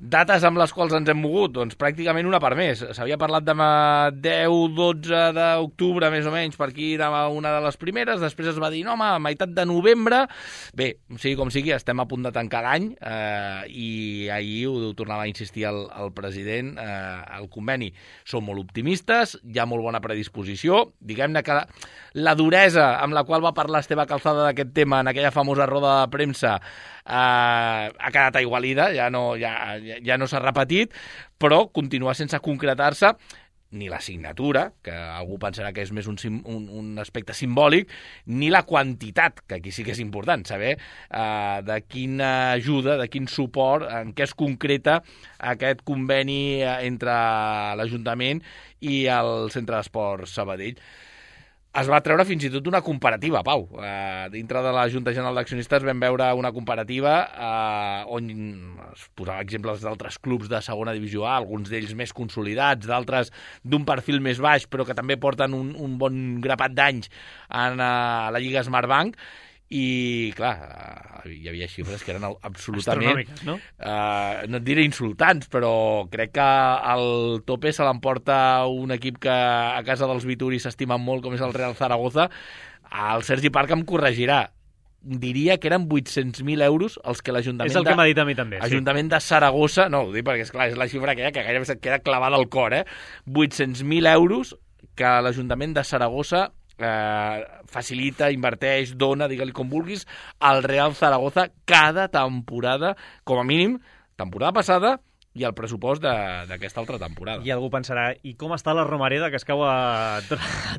Dates amb les quals ens hem mogut, doncs pràcticament una per més. S'havia parlat de deu dotze d'octubre, més o menys, per aquí era una de les primeres, després es va dir, no, home, a meitat de novembre. Bé, sigui com sigui, estem a punt de tancar l'any eh, i ahir ho tornava a insistir el, el president, eh, el conveni. Som molt optimistes, hi ha molt bona predisposició, diguem-ne que la, la duresa amb la qual va parlar Esteve Calzada d'aquest tema en aquella famosa roda de premsa Uh, ha quedat aigualida, ja no, ja, ja no s'ha repetit, però continua sense concretar-se ni la signatura, que algú pensarà que és més un, un, un aspecte simbòlic, ni la quantitat, que aquí sí que és important, saber uh, de quina ajuda, de quin suport, en què es concreta aquest conveni entre l'Ajuntament i el Centre d'Esport Sabadell. Es va treure fins i tot una comparativa, Pau. Uh, dintre de la Junta General d'Accionistes vam veure una comparativa uh, on es posava exemples d'altres clubs de segona divisió A, alguns d'ells més consolidats, d'altres d'un perfil més baix, però que també porten un, un bon grapat d'anys en uh, la Lliga Smartbank. I, clar, hi havia xifres que eren absolutament... Astronòmiques, no? Uh, no et diré insultants, però crec que el tope se l'emporta un equip que a casa dels Vituris s'estimen molt, com és el Real Zaragoza. El Sergi Parc em corregirà. Diria que eren vuit-cents mil euros els que l'Ajuntament... És el que m'ha dit a mi també, sí. Ajuntament de Saragossa... No, ho dic perquè, esclar, és la xifra aquella que gairebé se't queda clavada al cor, eh? vuit-cents mil euros que l'Ajuntament de Saragossa Eh, facilita, inverteix, dona, digue-li com vulguis, al Real Zaragoza cada temporada, com a mínim, temporada passada i el pressupost d'aquesta altra temporada. I algú pensarà, i com està la Romareda, que es cau a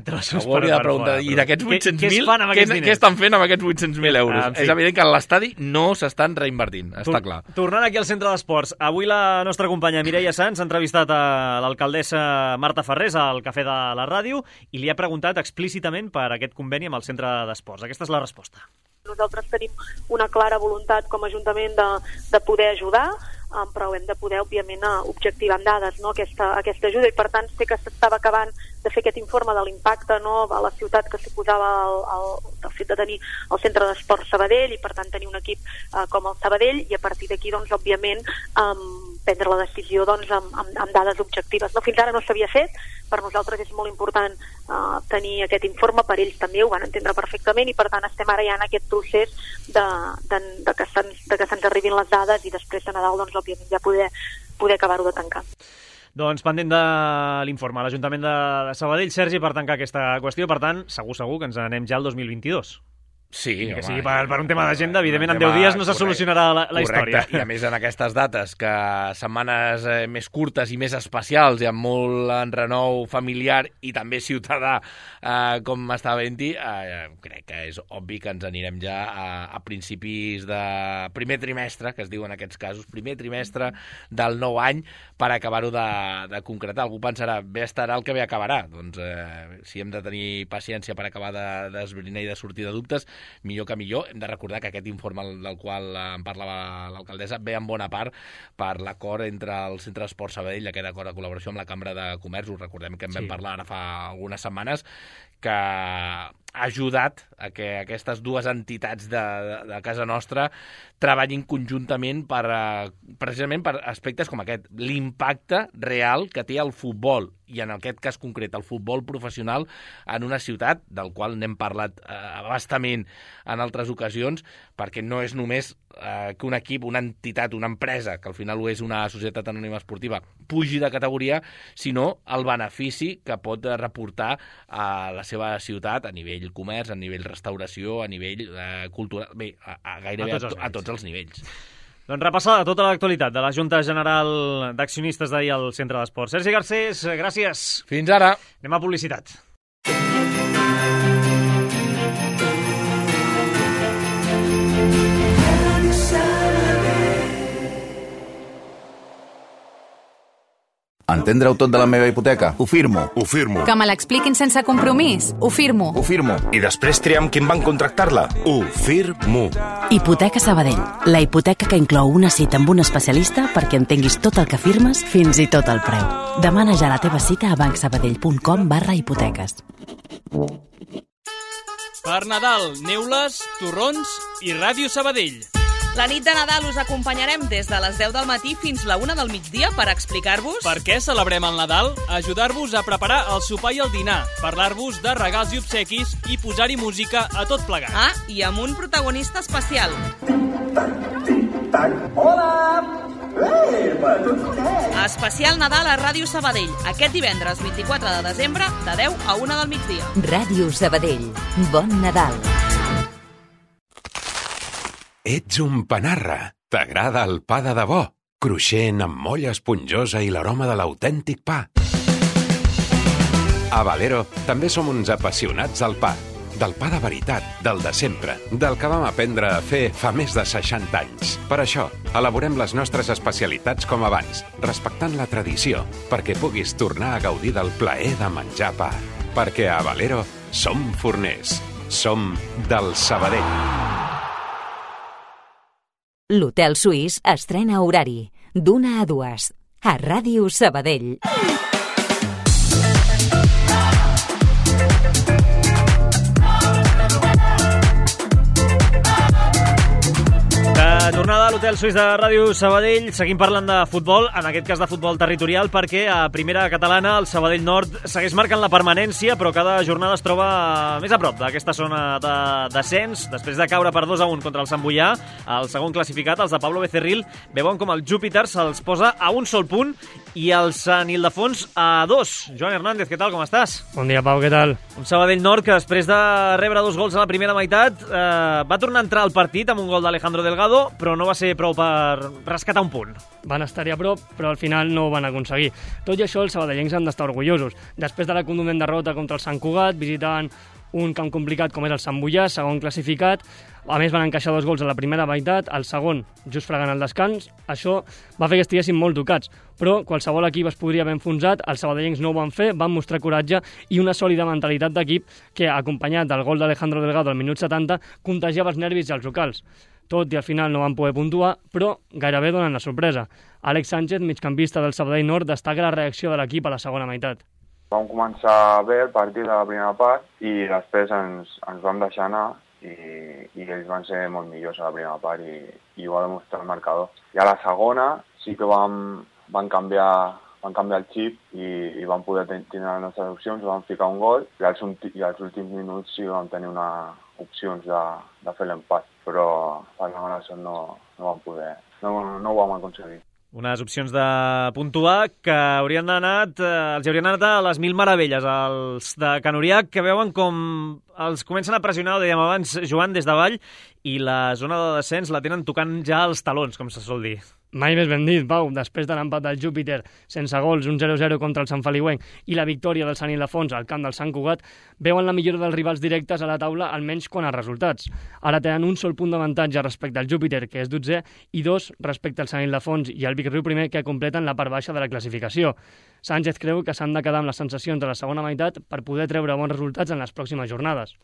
trossos per fora? I d'aquests vuit-cents mil, què, què, què estan fent amb aquests vuit-cents mil euros? Ah, sí. És evident que l'estadi no s'estan reinvertint, està clar. Tornant aquí al Centre d'Esports, avui la nostra companya Mireia Sans ha entrevistat a l'alcaldessa Marta Ferrés al Cafè de la Ràdio i li ha preguntat explícitament per aquest conveni amb el Centre d'Esports. Aquesta és la resposta. Nosaltres tenim una clara voluntat com a Ajuntament de, de poder ajudar, um, però hem de poder, òbviament, objectivar amb dades, no, aquesta, aquesta ajuda, i per tant sé que s'estava acabant de fer aquest informe de l'impacte, no, a la ciutat que suposava el, el, el fet de tenir el Centre d'Esport Sabadell i per tant tenir un equip uh, com el Sabadell, i a partir d'aquí, doncs, òbviament, um, prendre la decisió doncs, amb, amb, amb dades objectives. No, fins ara no s'havia fet, per nosaltres és molt important uh, tenir aquest informe, per ells també ho van entendre perfectament i per tant estem ara ja en aquest procés de, de, de que se'ns de que se'ns arribin les dades i després de Nadal doncs, òbviament ja poder, poder acabar-ho de tancar. Doncs pendent de l'informe a l'Ajuntament de Sabadell, Sergi, per tancar aquesta qüestió, per tant, segur, segur que ens anem ja al dos mil vint-i-dos. Sí, que home, sigui per, per un tema d'agenda, evidentment en deu dies no se solucionarà la, la història. I a més en aquestes dates, que setmanes eh, més curtes i més especials i amb molt enrenou familiar i també ciutadà, eh, com està havent-hi, eh, crec que és obvi que ens anirem ja a, a principis de primer trimestre, que es diu en aquests casos, primer trimestre del nou any, per acabar-ho de, de concretar. Algú pensarà, bé estarà el que bé acabarà. Doncs eh, si hem de tenir paciència per acabar d'esbrinar de, i de sortir de dubtes, millor que millor. Hem de recordar que aquest informe del qual en parlava l'alcaldessa ve en bona part per l'acord entre el Centre d'Esport Sabadell, aquest acord de col·laboració amb la Cambra de Comerç. Us recordem que en vam sí. parlar ara fa algunes setmanes, que ha ajudat a que aquestes dues entitats de, de, de casa nostra treballin conjuntament per, precisament per aspectes com aquest, l'impacte real que té el futbol, i en aquest cas concret el futbol professional en una ciutat, del qual n'hem parlat eh, bastament en altres ocasions, perquè no és només eh, que un equip, una entitat, una empresa, que al final ho és una societat anònima esportiva, pugi de categoria, sinó el benefici que pot reportar a la seva ciutat a nivell comerç, a nivell restauració, a nivell eh, cultural, bé, a, a gairebé a tots, a, a tots els nivells. Doncs repassada tota l'actualitat de la Junta General d'Accionistes d'ahir al Centre d'Esports. Sergi Garcés, gràcies. Fins ara. Anem a publicitat. Entendre-ho tot de la meva hipoteca? Ho firmo. Ho firmo. Que me l'expliquin sense compromís? Ho firmo. Ho firmo. I després triar amb qui em van contractar-la? Ho firmo. Hipoteca Sabadell. La hipoteca que inclou una cita amb un especialista perquè entenguis tot el que firmes, fins i tot el preu. Demana ja la teva cita a bancsabadell punt com barra hipoteques. Per Nadal, neules, torrons i Ràdio Sabadell. La nit de Nadal us acompanyarem des de les deu del matí fins la una del migdia per explicar-vos... Per què celebrem el Nadal, ajudar-vos a preparar el sopar i el dinar, parlar-vos de regals i obsequis i posar-hi música a tot plegat. Ah, i amb un protagonista especial. Hola! Ei, tots vostès! Especial Nadal a Ràdio Sabadell, aquest divendres vint-i-quatre de desembre, de deu a una del migdia. Ràdio Sabadell. Bon Nadal. Ets un panarra. T'agrada el pa de debò, cruixent amb molla esponjosa i l'aroma de l'autèntic pa. A Valero també som uns apassionats del pa. Del pa de veritat, del de sempre, del que vam aprendre a fer fa més de seixanta anys. Per això, elaborem les nostres especialitats com abans, respectant la tradició, perquè puguis tornar a gaudir del plaer de menjar pa. Perquè a Valero som forners. Som del Sabadell. L'Hotel Suís estrena horari, d'una a dues, a Ràdio Sabadell. De tornada a l'Hotel Suís de Ràdio Sabadell, seguim parlant de futbol, en aquest cas de futbol territorial, perquè a primera catalana el Sabadell Nord segueix marcant la permanència, però cada jornada es troba més a prop d'aquesta zona de descens. Després de caure per dos a un contra el Sant Boià, el segon classificat, els de Pablo Becerril, veuen com el Júpiter se'ls posa a un sol punt i el Sant Ildefons a dos. Joan Hernández, què tal, com estàs? Bon dia, Pau, què tal? Un Sabadell Nord que després de rebre dos gols a la primera meitat eh, va tornar a entrar al partit amb un gol d'Alejandro Delgado, però no va ser prou per rescatar un punt. Van estar-hi a prop, però al final no ho van aconseguir. Tot i això, els sabadellencs han d'estar orgullosos. Després de la contundent derrota contra el Sant Cugat, visitant un camp complicat com és el Sant Boià, segon classificat, a més van encaixar dos gols a la primera meitat, el segon just fregant el descans. Això va fer que estiguessin molt tocats, però qualsevol equip es podria haver enfonsat, els sabadellencs no ho van fer, van mostrar coratge i una sòlida mentalitat d'equip que, acompanyat del gol d'Alejandro Delgado al minut setanta, contagiava els nervis als locals. Tot i al final no van poder puntuar, però gairebé donen la sorpresa. Àlex Sánchez, migcampista del Sabadell Nord, destaca la reacció de l'equip a la segona meitat. Vam començar bé el partit a la primera part i després ens, ens vam deixar anar i, i ells van ser molt millors a la primera part i, i ho va demostrar el marcador. I a la segona sí que vam, vam, canviar, vam canviar el xip i, i vam poder tenir les nostres opcions, vam ficar un gol i als, i als últims minuts sí que vam tenir una opcions de, de fer l'empat, però per la mala sort no, no vam poder, no, no ho vam aconseguir. Unes opcions de puntuar que haurien anat, eh, els haurien anat a les mil meravelles, els de Can Uriac, que veuen com els comencen a pressionar, ho dèiem abans, Joan, des davall, i la zona de descens la tenen tocant ja els talons, com se sol dir. Mai més ben dit, Pau. Després de l'empat del Júpiter sense gols, un zero a zero contra el Sant Feliuenc i la victòria del Sant Ildefons al camp del Sant Cugat, veuen la millora dels rivals directes a la taula, almenys quant a resultats. Ara tenen un sol punt d'avantatge respecte al Júpiter, que és dotzè, i dos respecte al Sant Ildefons i al Vic Riu primer, que completen la part baixa de la classificació. Sánchez creu que s'han de quedar amb les sensacions de la segona meitat per poder treure bons resultats en les pròximes jornades.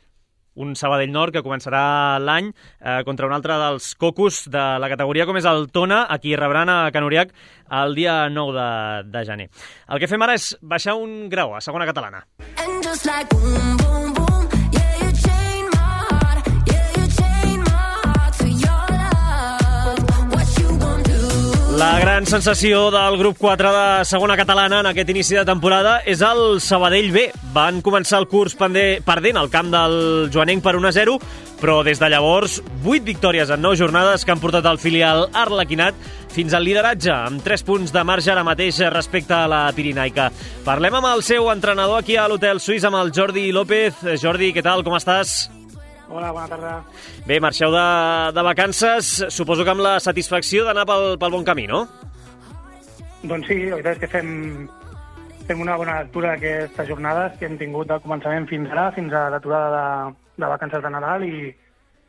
Un Sabadell Nord que començarà l'any eh, contra un altre dels cocos de la categoria com és el Tona, a qui rebran a Can Uriac el dia nou de, de gener. El que fem ara és baixar un grau a segona catalana. And just like boom, boom, boom, yeah, you chain my heart, yeah, you chain my heart to your love, what you gonna do? La gran sensació del grup quatre de segona catalana en aquest inici de temporada és el Sabadell B. Van començar el curs perdent al camp del Joanenc per un a zero, però des de llavors, vuit victòries en nou jornades que han portat el filial arlequinat fins al lideratge, amb tres punts de marge ara mateix respecte a la pirinaica. Parlem amb el seu entrenador aquí a l'Hotel Suís, amb el Jordi López. Jordi, què tal, com estàs? Hola, bona tarda. Bé, marxeu de, de vacances, suposo que amb la satisfacció d'anar pel, pel bon camí, no? Doncs sí, la veritat és que fem, fem una bona lectura d'aquestes jornades que hem tingut del començament fins ara, fins a l'aturada de, de vacances de Nadal, i,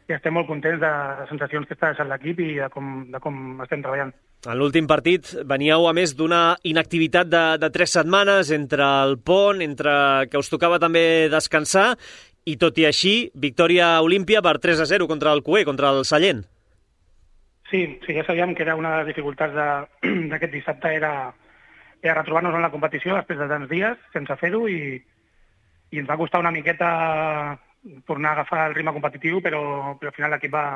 i estem molt contents de les sensacions que està deixant l'equip i de com, de com estem treballant. En l'últim partit veníeu a més d'una inactivitat de, de tres setmanes entre el pont, entre que us tocava també descansar, i tot i així, victòria olímpia per tres a zero contra el Cué, contra el Sallent. Sí, sí, ja sabíem que era una de les dificultats d'aquest dissabte, era, era retrobar-nos en la competició després de tants dies sense fer-ho, i, i ens va costar una miqueta tornar a agafar el ritme competitiu, però, però al final l'equip va,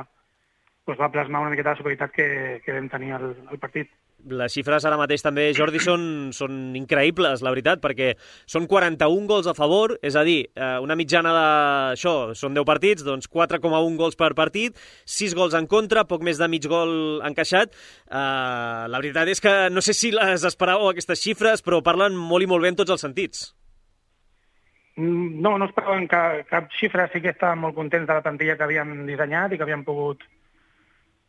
doncs va plasmar una miqueta de superioritat que, que vam tenir al, al partit. Les xifres ara mateix també, Jordi, són, són increïbles, la veritat, perquè són quaranta-un gols a favor, és a dir, una mitjana d'això, són deu partits, doncs quatre coma un gols per partit, sis gols en contra, poc més de mig gol encaixat. Uh, la veritat és que no sé si les esperàveu aquestes xifres, però parlen molt i molt bé en tots els sentits. No, no esperàvem cap, cap xifra, sí que estàvem molt contents de la plantilla que havíem dissenyat i que havíem pogut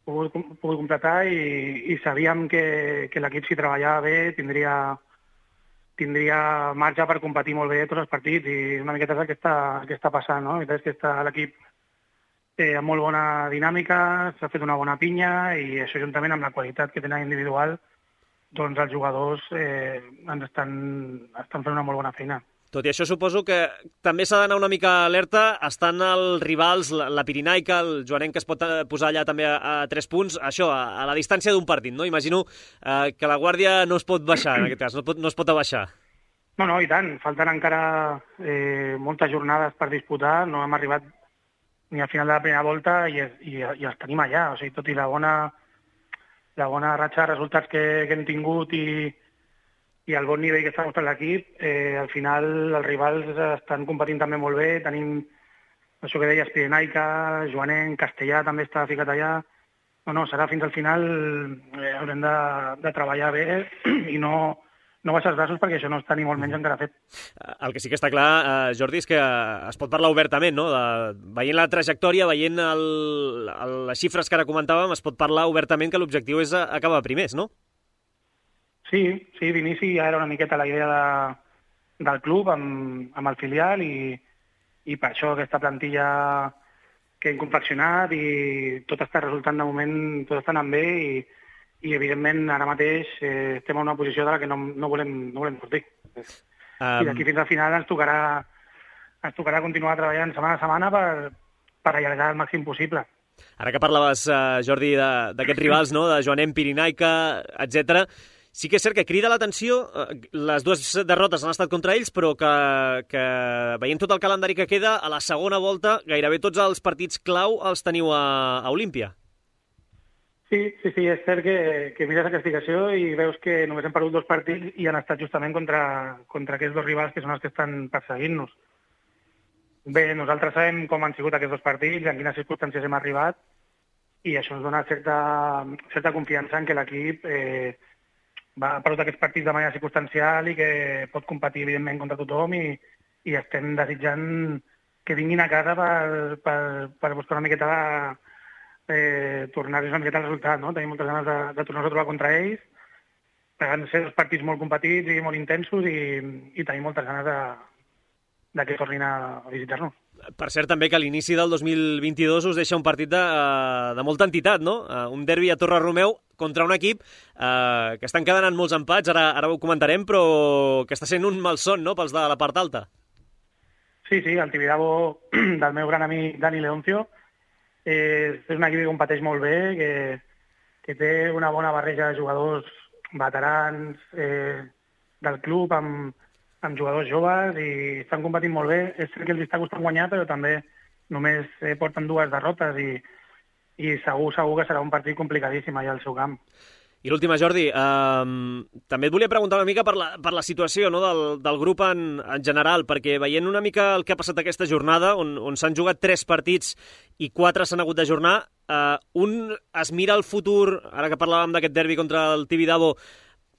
Pogut, pogut completar i, i sabíem que, que l'equip, si treballava bé, tindria, tindria marge per competir molt bé tots els partits, i una miqueta és el que està, que està passant, no? És que està l'equip eh, amb molt bona dinàmica, s'ha fet una bona pinya, i això juntament amb la qualitat que tenen individual, doncs els jugadors eh, ens estan, estan fent una molt bona feina. Tot i això, suposo que també s'ha d'anar una mica alerta. Estan els rivals, la, la Pirinaica, el Joanenc, que es pot posar allà també a, a tres punts, això, a, a la distància d'un partit, no? Imagino eh, que la guàrdia no es pot baixar, en aquest cas, no, pot, no es pot abaixar. No, no, i tant. Falten encara eh, moltes jornades per disputar. No hem arribat ni al final de la primera volta i, i, i els tenim allà. O sigui, tot i la bona, la bona ratxa de resultats que, que hem tingut i i el bon nivell que està mostrant l'equip, eh, al final els rivals estan competint també molt bé. Tenim això que deies, Pirenaica, Joanenc, Castellà també està ficat allà. No, no, serà fins al final, eh, haurem de, de treballar bé i no, no baixar els braços, perquè això no està ni molt menys encara fet. El que sí que està clar, eh, Jordi, és que es pot parlar obertament, no? De, veient la trajectòria, veient el, el, les xifres que ara comentàvem, es pot parlar obertament que l'objectiu és acabar primers, no? Sí, sí, d'inici ja era una miqueta la idea de, del club amb, amb el filial i, i per això aquesta plantilla que hem confeccionat i tot està resultant de moment, tot està anant bé i, i evidentment ara mateix eh, estem en una posició de la que no, no, volem, no volem sortir. Um... I d'aquí fins al final ens tocarà, ens tocarà continuar treballant setmana a setmana per, per allargar el màxim possible. Ara que parlaves, uh, Jordi, d'aquests rivals, no? De Joanenc, Pirinaica, etcètera, sí que és cert que crida l'atenció, les dues derrotes han estat contra ells, però que, que veient tot el calendari que queda, a la segona volta gairebé tots els partits clau els teniu a, a Olímpia. Sí, sí, sí, és cert que, que mires la classificació i veus que només hem perdut dos partits i han estat justament contra, contra aquests dos rivals que són els que estan perseguint-nos. Bé, nosaltres sabem com han sigut aquests dos partits, en quines circumstàncies hem arribat, i això ens dona certa, certa confiança en que l'equip eh, va ha perdut aquests partits de manera circumstancial i que pot competir, evidentment, contra tothom, i, i estem desitjant que vinguin a casa per, per, per buscar una miqueta de, eh, tornar-nos una miqueta al resultat, no? Tenim moltes ganes de, de tornar-nos a trobar contra ells, van ser dos partits molt competits i molt intensos, i, i tenim moltes ganes de, de que tornin a visitar-nos. Per cert, també que a l'inici del dos mil vint-i-dos us deixa un partit de, de molta entitat, no? Un derbi a Torre Romeu contra un equip eh, que estan quedant molts empats, ara, ara ho comentarem, però que està sent un malson, no?, pels de la part alta. Sí, sí, el Tibidabo del meu gran amic Dani Leoncio és, és un equip que competeix molt bé, que, que té una bona barreja de jugadors veterans eh, del club amb amb jugadors joves i estan competint molt bé. És cert que els està costant guanyar, però també només eh, porten dues derrotes i, i segur, segur que serà un partit complicadíssim allà al seu camp. I l'última, Jordi, eh, també et volia preguntar una mica per la, per la situació, no?, del, del grup en, en general, perquè veient una mica el que ha passat aquesta jornada, on, on s'han jugat tres partits i quatre s'han hagut d'ajornar, eh, un es mira al futur, ara que parlàvem d'aquest derbi contra el Tibidabo,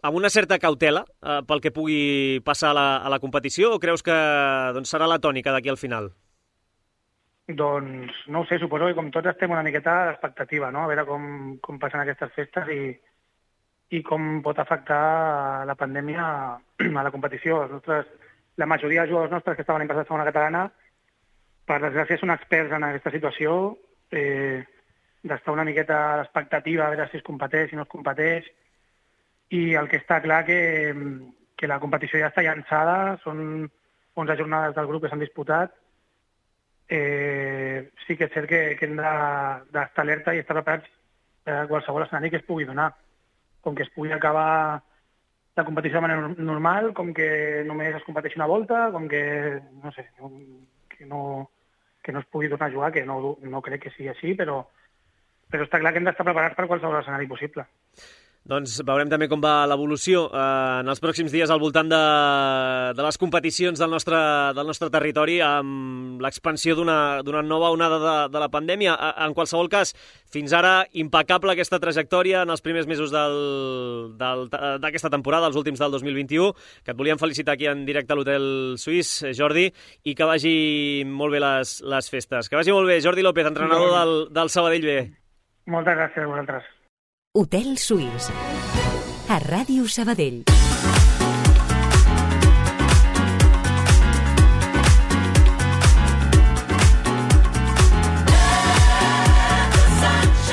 amb una certa cautela eh, pel que pugui passar a la, a la competició, o creus que doncs, serà la tònica d'aquí al final? Doncs no ho sé, suposo que com tots estem una miqueta a l'expectativa, no? A veure com, com passen aquestes festes i, i com pot afectar la pandèmia a la competició. Els nostres, la majoria dels jugadors nostres que estaven en passat segona catalana, per desgràcia, són experts en aquesta situació, eh, d'estar una miqueta a l'expectativa, a veure si es competeix, si no es competeix. I el que està clar que, que la competició ja està llançada, són onze jornades del grup que s'han disputat. Eh, sí que és cert que, que hem d'estar alerta i estar preparats a qualsevol escenari que es pugui donar. Com que es pugui acabar la competició de manera normal, com que només es competeixi una volta, com que, no sé, que no, que no es pugui tornar a jugar, que no, no crec que sigui així, però, però està clar que hem d'estar preparats per qualsevol escenari possible. Doncs veurem també com va l'evolució eh, en els pròxims dies al voltant de, de les competicions del nostre, del nostre territori amb l'expansió d'una nova onada de, de la pandèmia. En qualsevol cas, fins ara, impecable aquesta trajectòria en els primers mesos d'aquesta temporada, els últims del dos mil vint-i-u, que et volíem felicitar aquí en directe a l'Hotel Suís, Jordi, i que vagi molt bé les, les festes. Que vagi molt bé, Jordi López, entrenador del, del Sabadell B. Moltes gràcies a vosaltres. Hotel Suís, a Ràdio Sabadell.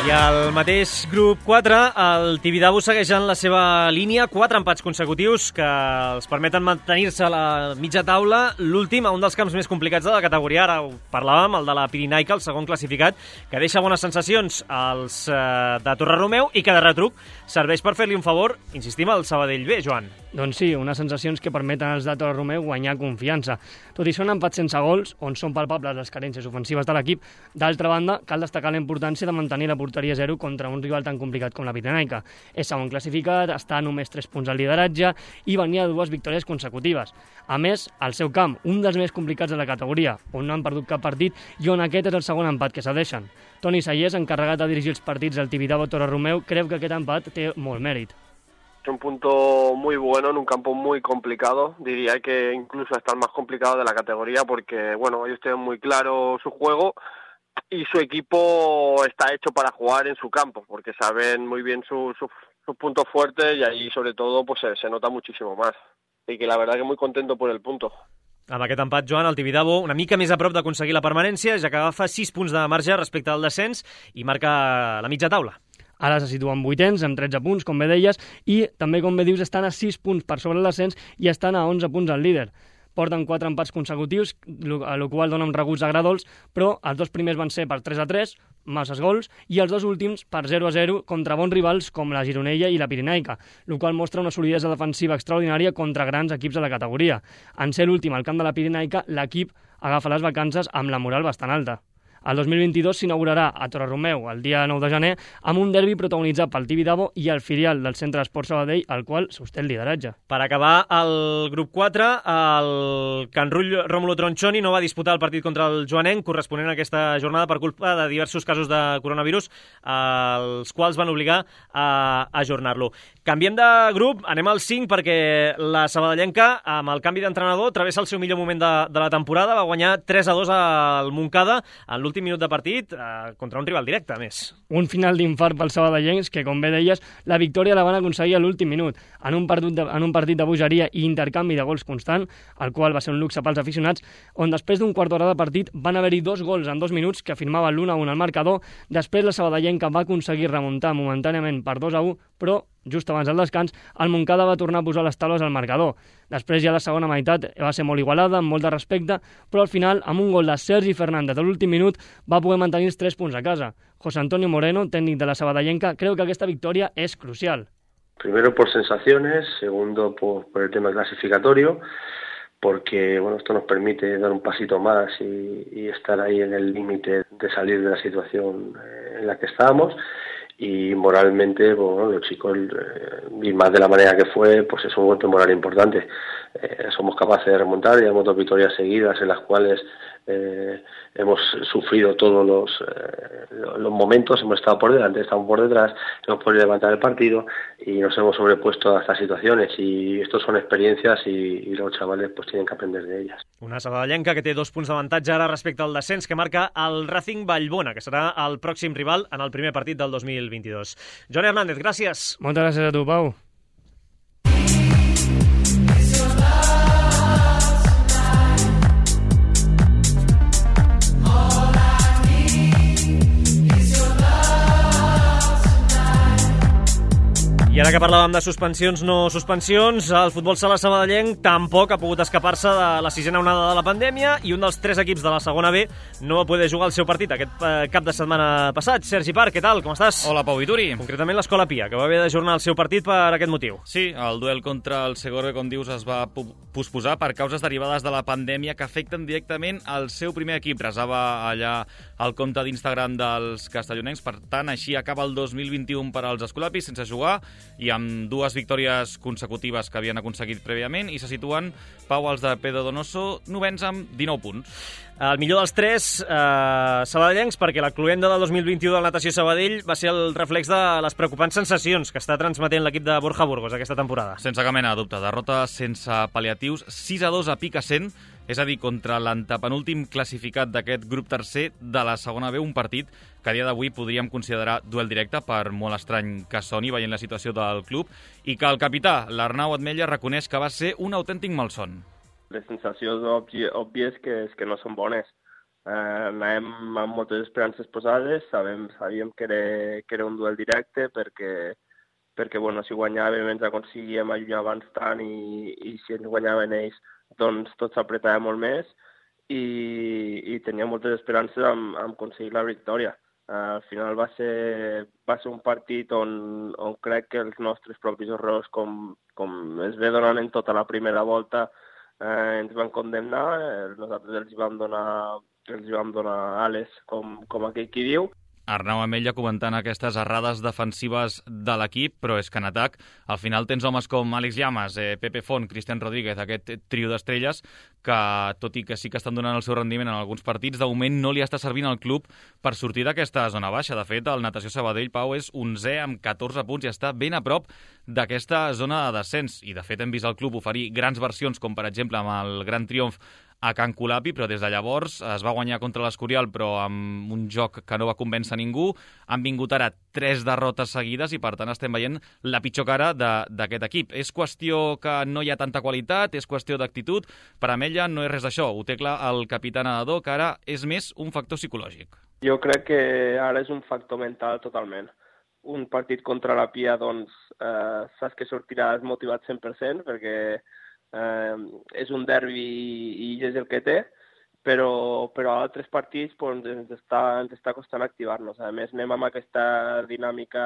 I al mateix grup quatre, el Tibidabo segueix en la seva línia, quatre empats consecutius que els permeten mantenir-se a la mitja taula. L'últim, a un dels camps més complicats de la categoria, ara ho parlàvem, el de la Pirinaica, el segon classificat, que deixa bones sensacions als eh, de Torreromeu i que de retruc serveix per fer-li un favor, insistim, al Sabadell B, Joan. Doncs sí, unes sensacions que permeten als de Torreromeu guanyar confiança. Tot i són empats sense gols, on són palpables les carències ofensives de l'equip, d'altra banda, cal destacar la importància de mantenir la porteria zero contra un rival tan complicat com la Pirinaica. És segon classificat, està a només tres punts al lideratge i venia de dues victòries consecutives. A més, al seu camp, un dels més complicats de la categoria, on no han perdut cap partit i on aquest és el segon empat que cedeixen. Toni Sayés, encarregat de dirigir els partits del Tibidabo Torreromeu, creu que aquest empat té molt mèrit. Es un punto muy bueno en un campo muy complicado, diría que incluso hasta el más complicado de la categoría porque, bueno, ellos tienen muy claro su juego y su equipo está hecho para jugar en su campo, porque saben muy bien sus su, su puntos fuertes y ahí sobre todo pues se, se nota muchísimo más. Y que la verdad que muy contento por el punto. Amb aquest empat, Joan, el Tibidabo una mica més a prop d'aconseguir la permanència, ja que agafa sis punts de marge respecte al descens i marca la mitja taula. Ara se situen vuitens, amb tretze punts, com bé deies, i també, com bé dius, estan a sis punts per sobre el descens i estan a onze punts al líder. Porten quatre empats consecutius, a la qual donen reguts agradols, però els dos primers van ser per tres a tres, masses gols, i els dos últims per zero a zero contra bons rivals com la Gironella i la Pirinaica, el qual mostra una solidesa defensiva extraordinària contra grans equips de la categoria. En ser l'últim al camp de la Pirinaica, l'equip agafa les vacances amb la moral bastant alta. El dos mil vint-i-dos s'inaugurarà a Torreromeu el dia nou de gener amb un derbi protagonitzat pel Tibidabo i el filial del Centre d'Esport Sabadell, al qual sosté el lideratge. Per acabar el grup quatre, el Can Rull Rómulo Tronchoni no va disputar el partit contra el Joanenc corresponent a aquesta jornada per culpa de diversos casos de coronavirus, els quals van obligar a ajornar-lo. Canviem de grup, anem al cinc perquè la sabadellenca, amb el canvi d'entrenador, travessa el seu millor moment de, de la temporada, va guanyar tres a dos al Montcada en l'últim minut de partit eh, contra un rival directe, a més. Un final d'infart pels sabadellencs que, com bé deies, la victòria la van aconseguir a l'últim minut, en un, partit de, en un partit de bogeria i intercanvi de gols constant, el qual va ser un luxe pels aficionats, on després d'un quart d'hora de partit van haver-hi dos gols en dos minuts que firmaven l'un a un al marcador. Després la sabadellenca va aconseguir remuntar momentàniament per dos a u, però just abans del descans, el Montcada va tornar a posar les taules al marcador. Després ja la segona meitat va ser molt igualada, amb molt de respecte, però al final, amb un gol de Sergi Fernández a l'últim minut, va poder mantenir els tres punts a casa. José Antonio Moreno, tècnic de la sabadellenca, creu que aquesta victòria és crucial. Primero por sensaciones, segundo por, por el tema clasificatorio, porque bueno, esto nos permite dar un pasito más y, y estar ahí en el límite de salir de la situación en la que estábamos. Y moralmente, bueno, los chicos, eh, y más de la manera que fue, pues es un golpe moral importante. Eh, somos capaces de remontar, llevamos dos victorias seguidas en las cuales eh, hemos sufrido todos los, eh, los momentos, hemos estado por delante, estamos por detrás, hemos podido levantar el partido y nos hemos sobrepuesto a estas situaciones y estos son experiencias y, y los chavales pues tienen que aprender de ellas. Una sabadellenca que té dos punts d'avantatge ara respecte al descens que marca el Racing Vallbona, que serà el pròxim rival en el primer partit del dos mil vint-i-dos. Joan Hernández, gràcies. Moltes gràcies a tu, Pau. I ara que parlàvem de suspensions, no suspensions, el futbol sala sabadellenc tampoc ha pogut escapar-se de la sisena onada de la pandèmia i un dels tres equips de la segona B no va poder jugar el seu partit aquest eh, cap de setmana passat. Sergi Parc, què tal? Com estàs? Hola, Pau Vituri. Concretament l'Escola Pia, que va haver d'ajornar el seu partit per aquest motiu. Sí, el duel contra el Segorbe, com dius, es va posposar per causes derivades de la pandèmia que afecten directament el seu primer equip. Resava allà el compte d'Instagram dels castellonencs, per tant, així acaba el dos mil vint-i-u per als escolapis sense jugar i amb dues victòries consecutives que havien aconseguit prèviament i se situen, Pau, els de Pedro Donoso, novens amb dinou punts. El millor dels tres eh, sabadellencs, perquè la cluenda del dos mil vint-i-u del Natació Sabadell va ser el reflex de les preocupants sensacions que està transmetent l'equip de Borja Burgos aquesta temporada. Sense cap mena de dubte, derrota sense pal·liatius, sis a dos a Picassent, és a dir, contra l'antepenúltim classificat d'aquest grup tercer de la segona B, un partit que a dia d'avui podríem considerar duel directe, per molt estrany que soni veient la situació del club, i que el capità, l'Arnau Atmetlla, reconeix que va ser un autèntic malson. Les sensacions òbvies que, que no són bones. Eh, anàvem amb moltes esperances posades, sabem, sabíem que era, que era un duel directe perquè, perquè bueno, si guanyàvem ens aconseguíem allunyar abans tant i, i si ens guanyaven ells doncs tot s'apretava molt més i, i tenia moltes esperances amb, amb aconseguir la victòria. Uh, al final va ser, va ser un partit on, on crec que els nostres propis errors, com, com es ve donant en tota la primera volta, uh, ens van condemnar. Eh, nosaltres els vam donar, els vam donar ales, com, com aquell qui diu. Arnau Atmetlla comentant aquestes errades defensives de l'equip, però és que en atac al final tens homes com Àlex Llamas, eh, Pepe Font, Cristian Rodríguez, aquest trio d'estrelles que, tot i que sí que estan donant el seu rendiment en alguns partits, de moment no li està servint al club per sortir d'aquesta zona baixa. De fet, el Natació Sabadell, Pau, és onzè amb catorze punts i està ben a prop d'aquesta zona de descens. I de fet hem vist el club oferir grans versions, com per exemple amb el gran triomf a Can Colapi, però des de llavors es va guanyar contra l'Escorial, però amb un joc que no va convèncer ningú. Han vingut ara tres derrotes seguides i, per tant, estem veient la pitjor cara d'aquest equip. És qüestió que no hi ha tanta qualitat, és qüestió d'actitud. Per a Atmetlla no és res d'això. Ho té clar el capità nedador, que ara és més un factor psicològic. Jo crec que ara és un factor mental totalment. Un partit contra la Pia, doncs, eh, saps que sortiràs motivat cent per cent, perquè Eh, és un derbi i és el que té, però, però a altres partits pues, ens, està, ens està costant activar-nos. A més, anem amb aquesta dinàmica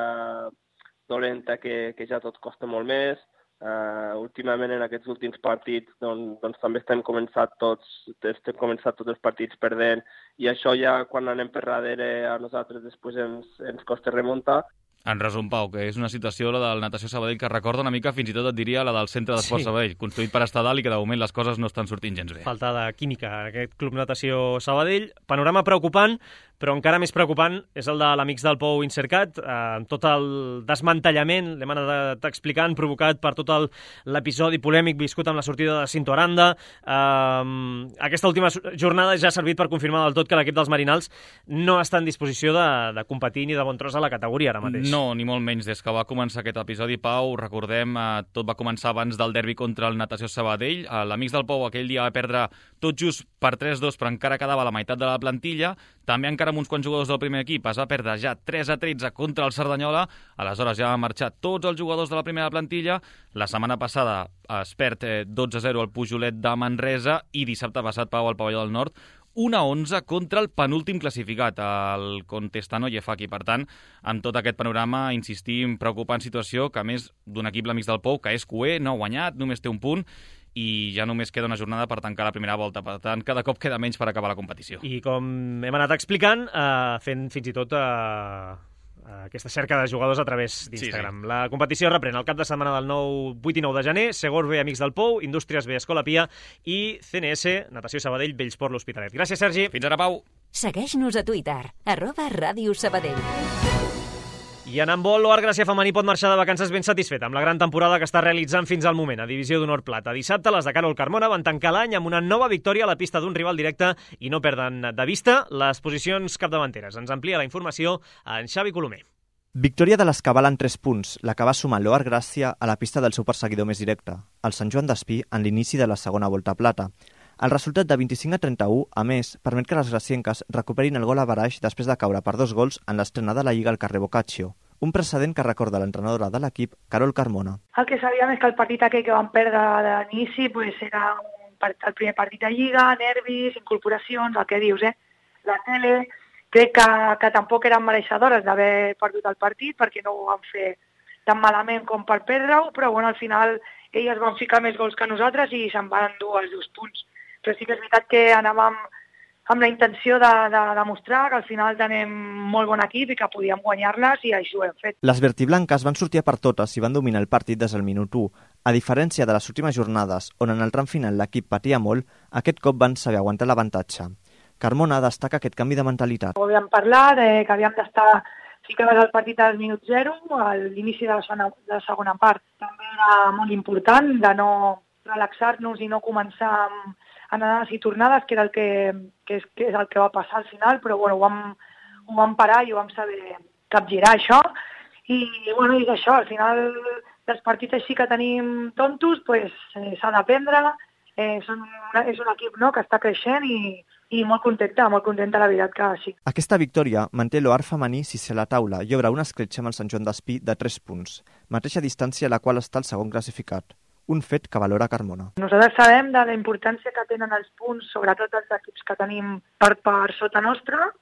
dolenta que, que ja tot costa molt més. Eh, últimament, en aquests últims partits, doncs, doncs també estem començat tots, estem començat tots els partits perdent, i això ja, quan anem per darrere, a nosaltres després ens, ens costa remuntar. En resum, Pau, que és una situació, la del Natació Sabadell, que recorda una mica, fins i tot et diria, la del Centre d'Esport sí. Sabadell, construït per estar dalt i que de moment les coses no estan sortint gens bé. Falta de química en aquest Club Natació Sabadell. Panorama preocupant, però encara més preocupant és el de l'Amics del Pou Insercat, eh, amb tot el desmantellament, l'hem anat explicant, provocat per tot l'episodi polèmic viscut amb la sortida de Cinto Aranda. Eh, aquesta última jornada ja ha servit per confirmar del tot que l'equip dels Marinals no està en disposició de, de competir ni de bon tros a la categoria ara mateix. No, ni molt menys. Des que va començar aquest episodi, Pau, recordem, eh, tot va començar abans del derbi contra el Natació Sabadell. Eh, L'Amics del Pou aquell dia va perdre tot just per tres dos, però encara quedava la meitat de la plantilla. També encara amb uns quants jugadors del primer equip es va perdre ja tres a tretze contra el Cerdanyola. Aleshores ja van marxar tots els jugadors de la primera plantilla. La setmana passada es perd eh, dotze a zero al Pujolet de Manresa i dissabte passat, Pau, al Pavelló del Nord, un a onze contra el penúltim classificat, el Contestano Yefaki. Per tant, amb tot aquest panorama, insistim, preocupant situació, que a més d'un equip, l'Amics del Pou, que és cuer, no ha guanyat, només té un punt, i ja només queda una jornada per tancar la primera volta. Per tant, cada cop queda menys per acabar la competició. I com hem anat explicant, eh, fent fins i tot eh, aquesta cerca de jugadors a través d'Instagram. Sí, sí. La competició reprèn el cap de setmana del nou, vuit i nou de gener, Segor B, Amics del Pou, Indústries B, Escola Pia i C N S, Natació Sabadell, Bellsport, l'Hospitalet. Gràcies, Sergi. Fins ara, Pau. Segueix-nos a Twitter, arroba Ràdio Sabadell. I en handbol, l'Oar Gràcia femení pot marxar de vacances ben satisfet amb la gran temporada que està realitzant fins al moment a Divisió d'Honor Plata. Dissabte, les de Carol Carmona van tancar l'any amb una nova victòria a la pista d'un rival directe i no perden de vista les posicions capdavanteres. Ens amplia la informació en Xavi Colomer. Victòria de l'Escabal en tres punts, la que va sumar l'Oar Gràcia a la pista del seu perseguidor més directe, el Sant Joan d'Espí, en l'inici de la segona volta plata. El resultat de vint-i-cinc a trenta-u, a més, permet que les gracienques recuperin el gol a baraix després de caure per dos gols en l'estrena de la Lliga al carrer Boccaccio. un precedent que recorda l'entrenadora de l'equip, Carol Carmona. El que sabíem és que el partit aquell que vam perdre d'inici pues, era un part, el primer partit de Lliga, nervis, incorporacions, el que dius, eh? La tele, crec que, que tampoc eren mereixedores d'haver perdut el partit perquè no ho van fer tan malament com per perdre-ho, però bueno, al final elles van ficar més gols que nosaltres i se'n van endur els dos punts. Però sí que és veritat que anàvem amb la intenció de, de demostrar que al final tenim molt bon equip i que podíem guanyar-les i això ho hem fet. Les vertiblanques van sortir a per totes i van dominar el partit des del minut u. A diferència de les últimes jornades, on en el tram final l'equip patia molt, aquest cop van saber aguantar l'avantatge. Carmona destaca aquest canvi de mentalitat. Ho havíem parlat, eh, que havíem d'estar ficaves al partit al minut zero, a l'inici de la segona, de la segona part. També era molt important de no relaxar-nos i no començar amb anades i tornades, que era el que, que, és, que és el que va passar al final, però bueno, ho vam, ho vam parar i ho vam saber capgirar, això. I bueno, és això, al final dels partits així que tenim tontos, pues, eh, s'ha d'aprendre, eh, són una, és un equip no, que està creixent i, i molt contenta, molt contenta la veritat que sí. Aquesta victòria manté l'O A R femení sisè a la taula i obre una escletxa amb el Sant Joan d'Espí de tres punts, mateixa distància a la qual està el segon classificat. Un fet que valora Carmona. Nosaltres sabem de la importància que tenen els punts, sobretot els equips que tenim per, per sota nostra,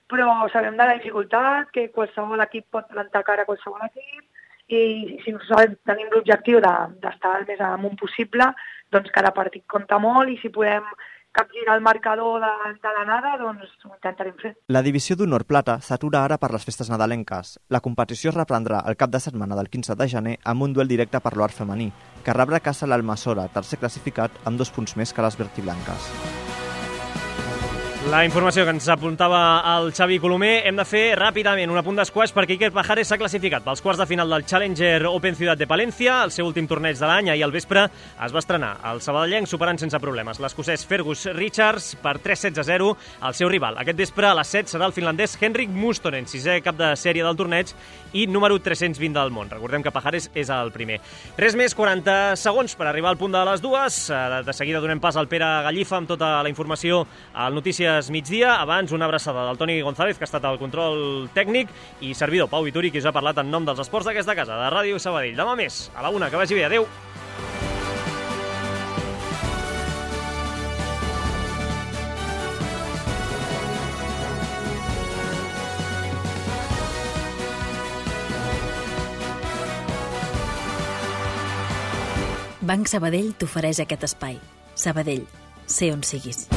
però sabem de la dificultat que qualsevol equip pot plantar cara a qualsevol equip i si nosaltres tenim l'objectiu d'estar el més amunt possible, doncs cada partit compta molt i si podem capgirar el marcador de, de l'anada, doncs ho intentarem fer. La divisió d'honor plata s'atura ara per les festes nadalenques. La competició es reprendrà el cap de setmana del quinze de gener amb un duel directe per l'O A R femení, que rebrà a casa l'Almassora, tercer classificat, amb dos punts més que les vertiblanques. La informació que ens apuntava el Xavi Colomer. Hem de fer ràpidament un apunt d'esquash perquè Iker Pajares s'ha classificat pels quarts de final del Challenger Open Ciutat de Palencia, el seu últim torneig de l'any. Ahir al vespre es va estrenar el sabadellenc superant sense problemes l'escocès Fergus Richards per tres sets a zero al seu rival. Aquest vespre a les set serà el finlandès Henrik Mustonen, sisè cap de sèrie del torneig i número tres-cents vint del món. Recordem que Pajares és el primer. Res més, quaranta segons per arribar al punt de les dues. De seguida donem pas al Pere Gallifa amb tota la informació al Notícies migdia. Abans, una abraçada del Toni González, que ha estat al control tècnic, i servidor Pau Vituri, qui us ha parlat en nom dels esports d'aquesta casa, de Ràdio Sabadell. Demà més, a la una, que vagi bé. Adéu. Banc Sabadell t'ofereix aquest espai. Sabadell, sé on siguis.